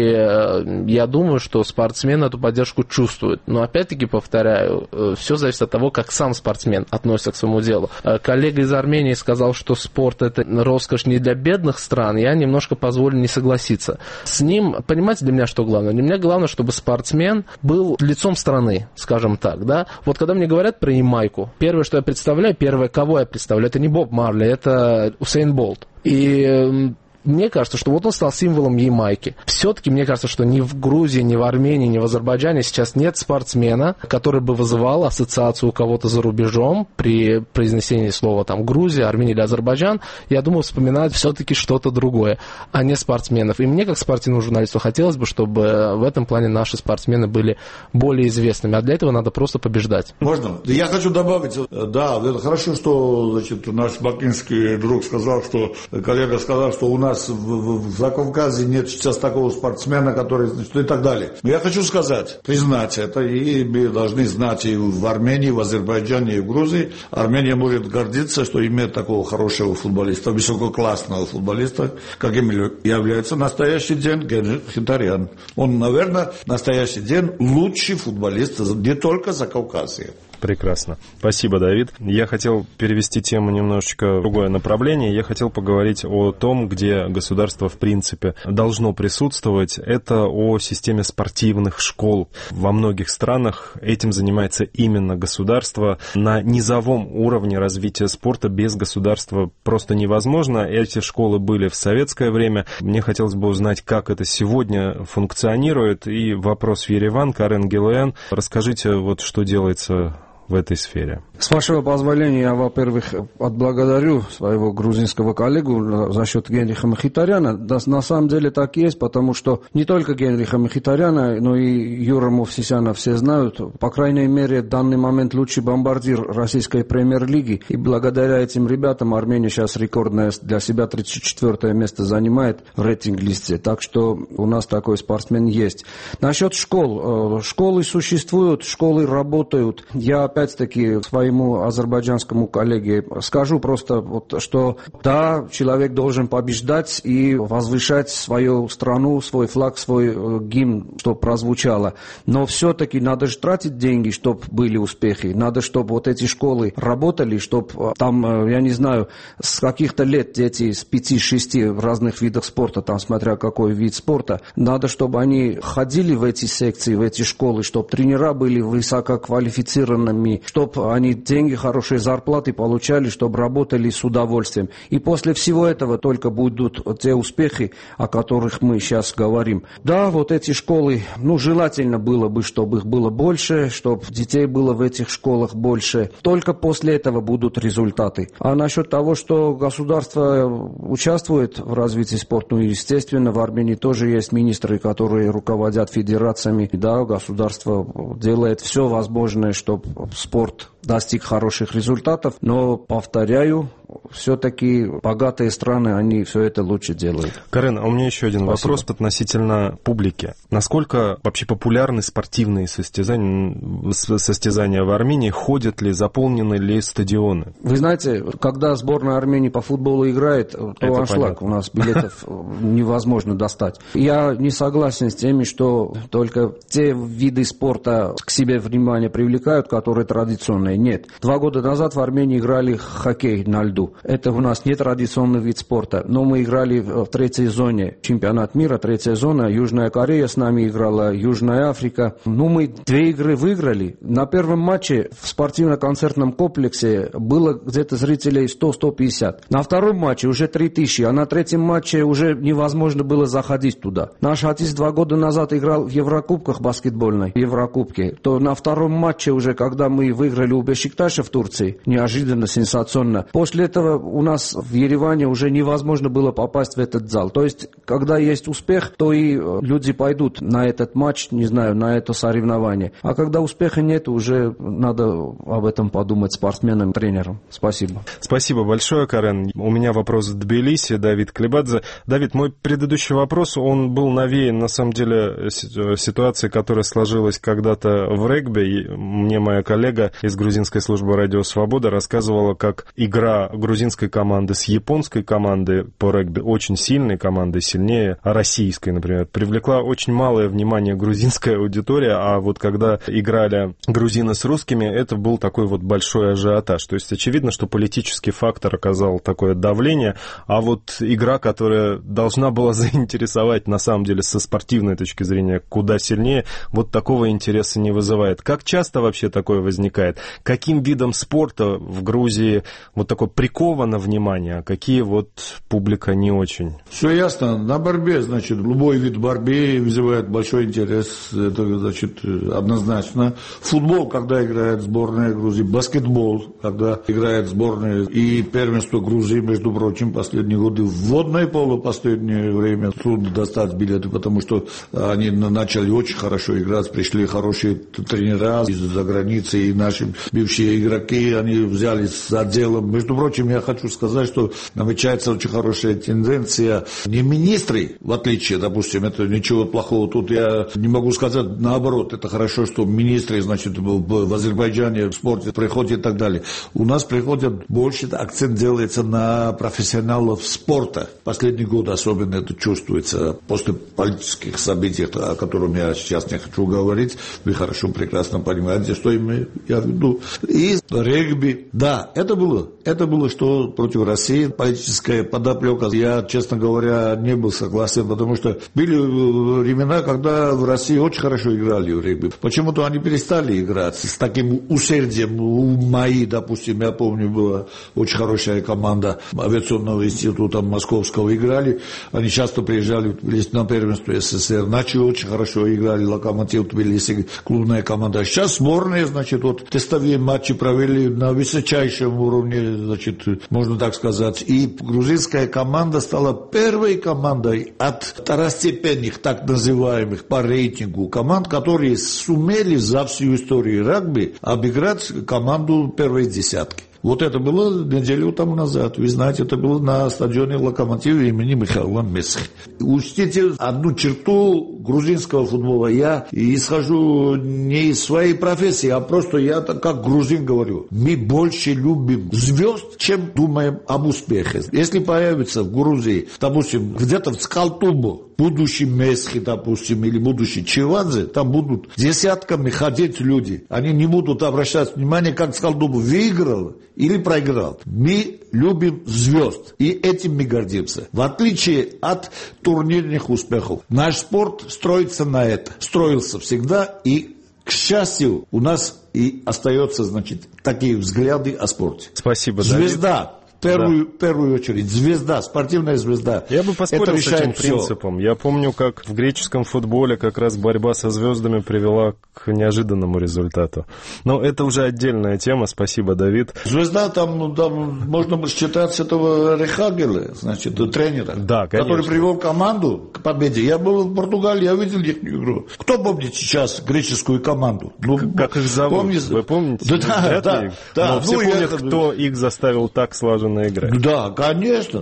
я думаю, что спортсмены эту поддержку чувствуют. Но опять-таки, повторяю, все зависит от того, как сам спортсмен относится к своему делу. Коллега из Армении сказал, что спорт – это роскошь не для бедных стран. Я немножко позволю не согласиться с ним. Понимаете, для меня что главное? Для меня главное, чтобы спортсмен был лицом страны, скажем так, да. Вот когда мне говорят про Ямайку, первое, что я представляю, первое, кого я представляю, это не Боб Марли, это Усейн Болт. И мне кажется, что вот он стал символом Ямайки. Все-таки мне кажется, что ни в Грузии, ни в Армении, ни в Азербайджане сейчас нет спортсмена, который бы вызывал ассоциацию у кого-то за рубежом при произнесении слова там Грузия, Армения или Азербайджан. Я думаю, вспоминают все-таки что-то другое, а не спортсменов. И мне, как спортивному журналисту, хотелось бы, чтобы в этом плане наши спортсмены были более известными. А для этого надо просто побеждать. Можно? Я хочу добавить, да, это хорошо, что, значит, наш бакинский друг сказал, что коллега сказал, что у нас в Закавказье нет сейчас такого спортсмена, который, значит, и так далее. Но я хочу сказать, признать это, и мы должны знать и в Армении, и в Азербайджане, и в Грузии. Армения может гордиться, что имеет такого хорошего футболиста, высококлассного футболиста, каким является настоящий день Генрих Мхитарян. Он, наверное, настоящий день лучший футболист не только Закавказья. Прекрасно. Спасибо, Давид. Я хотел перевести тему немножечко в другое направление. Я хотел поговорить о том, где государство, в принципе, должно присутствовать. Это о системе спортивных школ. Во многих странах этим занимается именно государство. На низовом уровне развития спорта без государства просто невозможно. Эти школы были в советское время. Мне хотелось бы узнать, как это сегодня функционирует. И вопрос в Ереван. Карен Гелуян, расскажите, вот что делается в этой сфере. С вашего позволения, я, во-первых, отблагодарю своего грузинского коллегу за счет Генриха Мхитаряна. Да, на самом деле так и есть, потому что не только Генриха Мхитаряна, но и Юра Мовсисяна все знают. По крайней мере, в данный момент лучший бомбардир российской премьер-лиги. И благодаря этим ребятам Армения сейчас рекордное для себя 34-е место занимает в рейтинг-листе. Так что у нас такой спортсмен есть. Насчет школ. Школы существуют, школы работают. Я опять-таки в своей своему азербайджанскому коллеге скажу просто, что да, человек должен побеждать и возвышать свою страну, свой флаг, свой гимн, чтобы прозвучало. Но все-таки надо же тратить деньги, чтобы были успехи. Надо, чтобы вот эти школы работали, чтобы там, я не знаю, с каких-то лет дети с 5-6 в разных видах спорта, там смотря какой вид спорта, надо, чтобы они ходили в эти секции, в эти школы, чтобы тренера были высококвалифицированными, чтобы они деньги, хорошие зарплаты получали, чтобы работали с удовольствием. И после всего этого только будут те успехи, о которых мы сейчас говорим. Да, вот эти школы, желательно было бы, чтобы их было больше, чтобы детей было в этих школах больше. Только после этого будут результаты. А насчет того, что государство участвует в развитии спорта, естественно, в Армении тоже есть министры, которые руководят федерациями. Да, государство делает все возможное, чтобы спорт достиг хороших результатов, но, повторяю, все-таки богатые страны, они все это лучше делают. Карен, а у меня еще один вопрос относительно публики. Насколько вообще популярны спортивные состязания в Армении? Ходят ли, заполнены ли стадионы? Вы знаете, когда сборная Армении по футболу играет, то аншлаг, у нас билетов невозможно достать. Я не согласен с теми, что только те виды спорта к себе внимание привлекают, которые традиционные. Нет. 2 года назад в Армении играли хоккей на льду. Это у нас не традиционный вид спорта, но мы играли в 3-й зоне. Чемпионат мира, 3-я зона. Южная Корея с нами играла, Южная Африка. Мы 2 игры выиграли. На первом матче в спортивно-концертном комплексе было где-то зрителей 100-150. На втором матче уже 3000, а на 3-м матче уже невозможно было заходить туда. Наш отец 2 года назад играл в Еврокубках баскетбольной, Еврокубке. То на втором матче уже, когда мы выиграли у Бешикташа в Турции, неожиданно, сенсационно. После этого у нас в Ереване уже невозможно было попасть в этот зал. То есть, когда есть успех, то и люди пойдут на этот матч, не знаю, на это соревнование. А когда успеха нет, уже надо об этом подумать спортсменам, тренерам. Спасибо. Спасибо большое, Карен. У меня вопрос в Тбилиси, Давид Клебадзе. Давид, мой предыдущий вопрос, он был навеян, на самом деле, ситуацией, которая сложилась когда-то в регби. Мне моя коллега из грузинской службы «Радио Свобода» рассказывала, как игра грузинской команды с японской командой по регби, очень сильной командой, сильнее российской, например, привлекла очень малое внимание грузинская аудитория, а вот когда играли грузины с русскими, это был такой вот большой ажиотаж. То есть очевидно, что политический фактор оказал такое давление, а вот игра, которая должна была заинтересовать, на самом деле, со спортивной точки зрения, куда сильнее, вот такого интереса не вызывает. Как часто вообще такое возникает? Каким видом спорта в Грузии вот такое приковано внимание, а какие вот публика не очень? Все ясно. На борьбе, значит, любой вид борьбы вызывает большой интерес. Это, значит, однозначно. Футбол, когда играет сборная Грузии, баскетбол, когда играет сборная, и первенство Грузии, между прочим, последние годы, водное поло последнее время трудно достать билеты, потому что они начали очень хорошо играть, пришли хорошие тренера из-за границы, и наши бывшие игроки, они взялись за дело. Между прочим, я хочу сказать, что намечается очень хорошая тенденция. Не министры, в отличие, допустим, это ничего плохого тут я не могу сказать, наоборот, это хорошо, что министры, значит, в Азербайджане в спорте приходят и так далее. У нас приходят больше, акцент делается на профессионалов спорта. Последний год особенно это чувствуется после политических событий, о которых я сейчас не хочу говорить. Вы хорошо, прекрасно понимаете, что я веду. И регби, да, это было, что против России политическая подоплека. Я, честно говоря, не был согласен, потому что были времена, когда в России очень хорошо играли в регби. Почему-то они перестали играть с таким усердием. У МАИ, допустим, я помню, была очень хорошая команда авиационного института московского играли. Они часто приезжали на первенство СССР. Начали очень хорошо играли, Локомотив Тбилиси, клубная команда. Сейчас сборные, значит, вот тестовые матчи провели на высочайшем уровне, значит, можно так сказать. И грузинская команда стала первой командой от второстепенных, так называемых, по рейтингу команд, которые сумели за всю историю регби обыграть команду первой десятки. Вот это было неделю тому назад. Вы знаете, это было на стадионе «Локомотив» имени Михаила Месхи. Учтите одну черту грузинского футбола. Я исхожу не из своей профессии, а просто я как грузин говорю. Мы больше любим звезд, чем думаем об успехе. Если появится в Грузии, допустим, где-то в Скалтубу, будущий Месхи, допустим, или будущий Чевадзе, там будут десятками ходить люди. Они не будут обращать внимание, как Скалтубу выиграл или проиграл. Мы любим звезд, и этим мы гордимся. В отличие от турнирных успехов. Наш спорт строится на это. Строился всегда, и, к счастью, у нас и остается, значит, такие взгляды о спорте. Спасибо, Звезда. В первую очередь, звезда, спортивная звезда. Я бы поспорил с этим всё. принципом. Я помню, как в греческом футболе как раз борьба со звездами привела к неожиданному результату. Но это уже отдельная тема. Спасибо, Давид. Звезда, там можно считать с этого Рехагеля, значит, тренера, да, который привел команду к победе. Я был в Португалии, я видел их игру. Кто помнит сейчас греческую команду? Как их зовут? Вы помните? Да. Но все помнят, кто их заставил так слаженно играть. Да, конечно.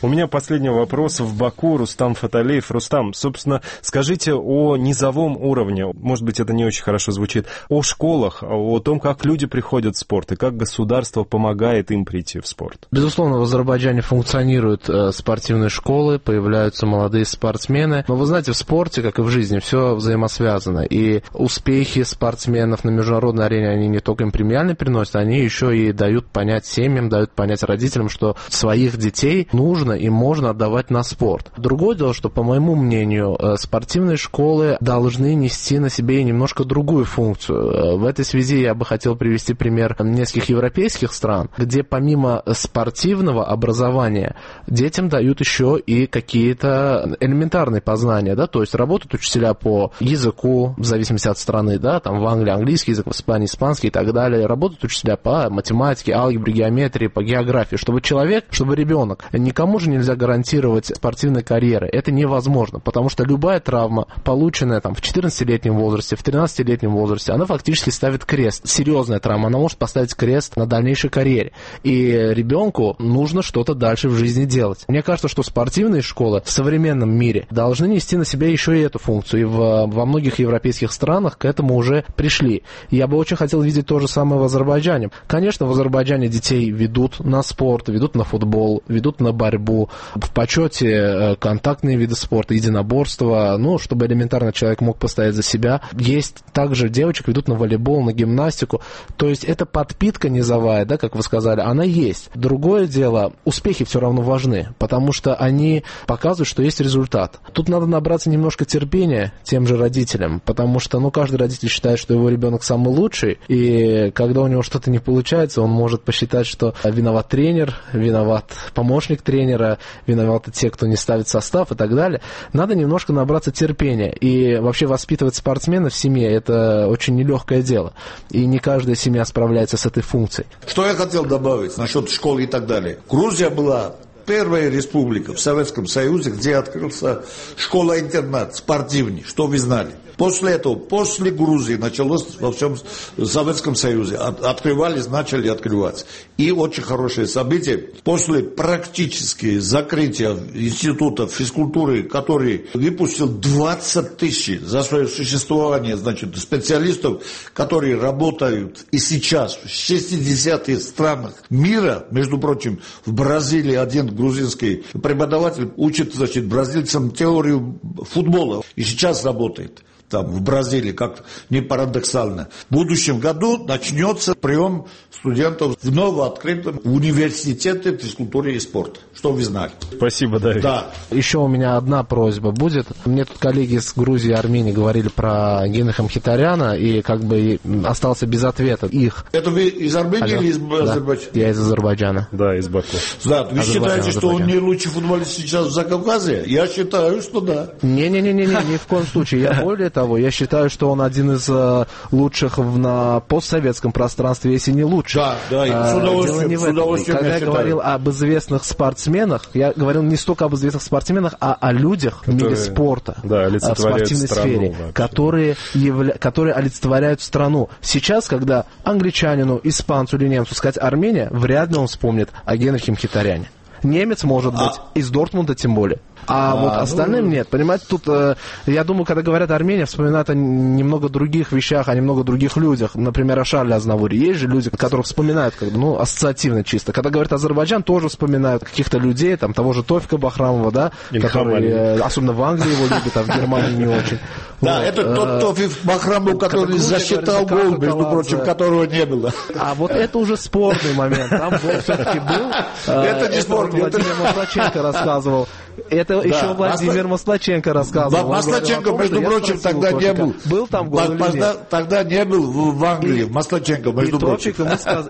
У меня последний вопрос в Баку. Рустам Фаталиев. Рустам, собственно, скажите о низовом уровне. Может быть, это не очень хорошо звучит. О школах, о том, как люди приходят в спорт и как государство помогает им прийти в спорт. Безусловно, в Азербайджане функционируют спортивные школы, появляются молодые спортсмены. Но вы знаете, в спорте, как и в жизни, все взаимосвязано. И успехи спортсменов на международной арене, они не только им премиальные приносят, они еще и дают понять семьям, дают понять родителям, что своих детей нужно и можно отдавать на спорт. Другое дело, что, по моему мнению, спортивные школы должны нести на себе немножко другую функцию. В этой связи я бы хотел привести пример нескольких европейских стран, где помимо спортивного образования детям дают еще и какие-то элементарные познания, да, то есть работают учителя по языку, в зависимости от страны, да, там в Англии английский язык, в Испании испанский и так далее, работают учителя по математике, алгебре, геометрии, по географии, чтобы ребенок, никому же нельзя гарантировать спортивной карьеры. Это невозможно, потому что любая травма, полученная там в 14-летнем возрасте, в 13-летнем возрасте, она фактически ставит крест. Серьезная травма, она может поставить крест на дальнейшей карьере. И ребенку нужно что-то дальше в жизни делать. Мне кажется, что спортивные школы в современном мире должны нести на себя еще и эту функцию. И во многих европейских странах к этому уже пришли. Я бы очень хотел видеть то же самое в Азербайджане. Конечно, в Азербайджане детей ведут на спорт, ведут на футбол, ведут на борьбу, в почете контактные виды спорта, единоборства, ну, чтобы элементарно человек мог постоять за себя. Есть также девочек ведут на волейбол, на гимнастику. То есть это подпитка низовая, да, как вы сказали, она есть. Другое дело, успехи все равно важны, потому что они показывают, что есть результат. Тут надо набраться немножко терпения тем же родителям, потому что, ну, каждый родитель считает, что его ребенок самый лучший, и когда у него что-то не получается, он может посчитать, что виноват тренер, виноват помощник тренера, виноваты те, кто не ставит состав и так далее. Надо немножко набраться терпения. И вообще воспитывать спортсмена в семье – это очень нелегкое дело. И не каждая семья справляется с этой функцией. Что я хотел добавить насчет школы и так далее. Грузия была первая республика в Советском Союзе, где открылся школа-интернат спортивный, что вы знали. После этого, после Грузии началось во всем Советском Союзе. Открывались, начали открываться. И очень хорошее событие. После практически закрытия института физкультуры, который выпустил 20 тысяч за свое существование, значит, специалистов, которые работают и сейчас в 60 странах мира, между прочим, в Бразилии один грузинский преподаватель учит, значит, бразильцам теорию футбола и сейчас работает. Там, в Бразилии, как не парадоксально. В будущем году начнется прием студентов в новооткрытом университете физкультуры и спорта. Что вы знали? Спасибо, Давид. Да. Еще у меня одна просьба будет. Мне тут коллеги из Грузии и Армении говорили про Генриха Мхитаряна, и как бы остался без ответа их. Это вы из Армении или из Азербайджана? Да, я из Азербайджана. Да, из Баку. Да, вы считаете, что он не лучший футболист сейчас в Закавказье? Я считаю, что да. Не-не-не, ни в коем случае. Я более того, я считаю, что он один из лучших на постсоветском пространстве, если не лучший. Да, дело не в этом. Когда я говорил об известных спортсменах, я говорил не столько об известных спортсменах, а о людях в мире спорта, в спортивной сфере, которые олицетворяют страну. Сейчас, когда англичанину, испанцу или немцу сказать Армения, вряд ли он вспомнит о Генрихе Мхитаряне. Немец, может быть, из Дортмунда тем более. А вот остальным нет. Понимаете, тут, я думаю, когда говорят Армения, вспоминают о немного других вещах, о немного других людях. Например, о Шарле Азнавуре. Есть же люди, которых вспоминают, ассоциативно чисто. Когда говорят Азербайджан, тоже вспоминают каких-то людей, там, того же Тофика Бахрамова, да, который, особенно в Англии его любят, а в Германии не очень. Да, это тот Тофик Бахрамов, который засчитал гол, между прочим, которого не было. А вот это уже спорный момент. Там гол все-таки был. Это не спорный. Владимир Маслаченко рассказывал. Это еще Владимир Маслаченко рассказывал. Маслаченко, между прочим, тогда не был. Был там гол или нет? Тогда не был в Англии, Маслаченко, между прочим.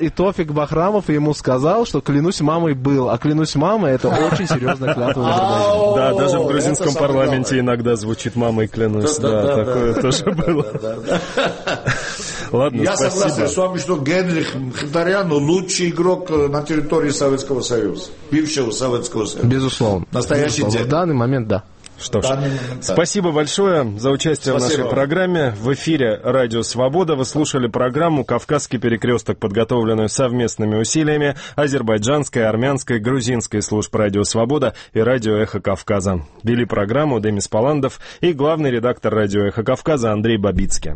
И Тофик Бахрамов ему сказал, что клянусь мамой был. А клянусь мамой, это очень серьезная клятва в Азербайджане. Да, даже в грузинском парламенте иногда звучит «мамой клянусь». Да, такое тоже было. Ладно, я согласен с вами, что Генрих Мхитарян лучший игрок на территории Советского Союза, бывшего Советского Союза. Безусловно. Настоящий день. В данный момент, да. Что ж, спасибо большое за участие в нашей программе. В эфире «Радио Свобода» вы слушали программу «Кавказский перекресток», подготовленную совместными усилиями азербайджанской, армянской, грузинской служб «Радио Свобода» и «Радио Эхо Кавказа». Вели программу Демис Паландов и главный редактор «Радио Эхо Кавказа» Андрей Бабицкий.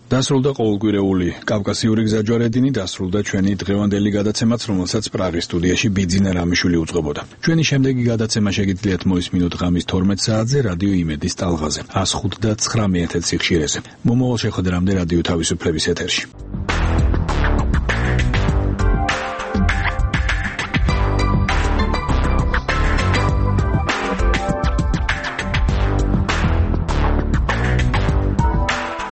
დასრულდა ყოველკვირეული კავკასიური გზაჯვარედინი, დასრულდა ჩვენი დღევანდელი გადაცემაც, რომელსაც პრაღის სტუდიაში ბიძინა რამიშვილი უწყობოდა. ჩვენი შემდეგი გადაცემა შეგიძლიათ მოისმინოთ ღამის 12 საათზე რადიო იმედის ტალღაზე 105.9 MHz სიხშირეზე. მომავალ შეხვედრამდე რადიო თავისუფლების ეთერში.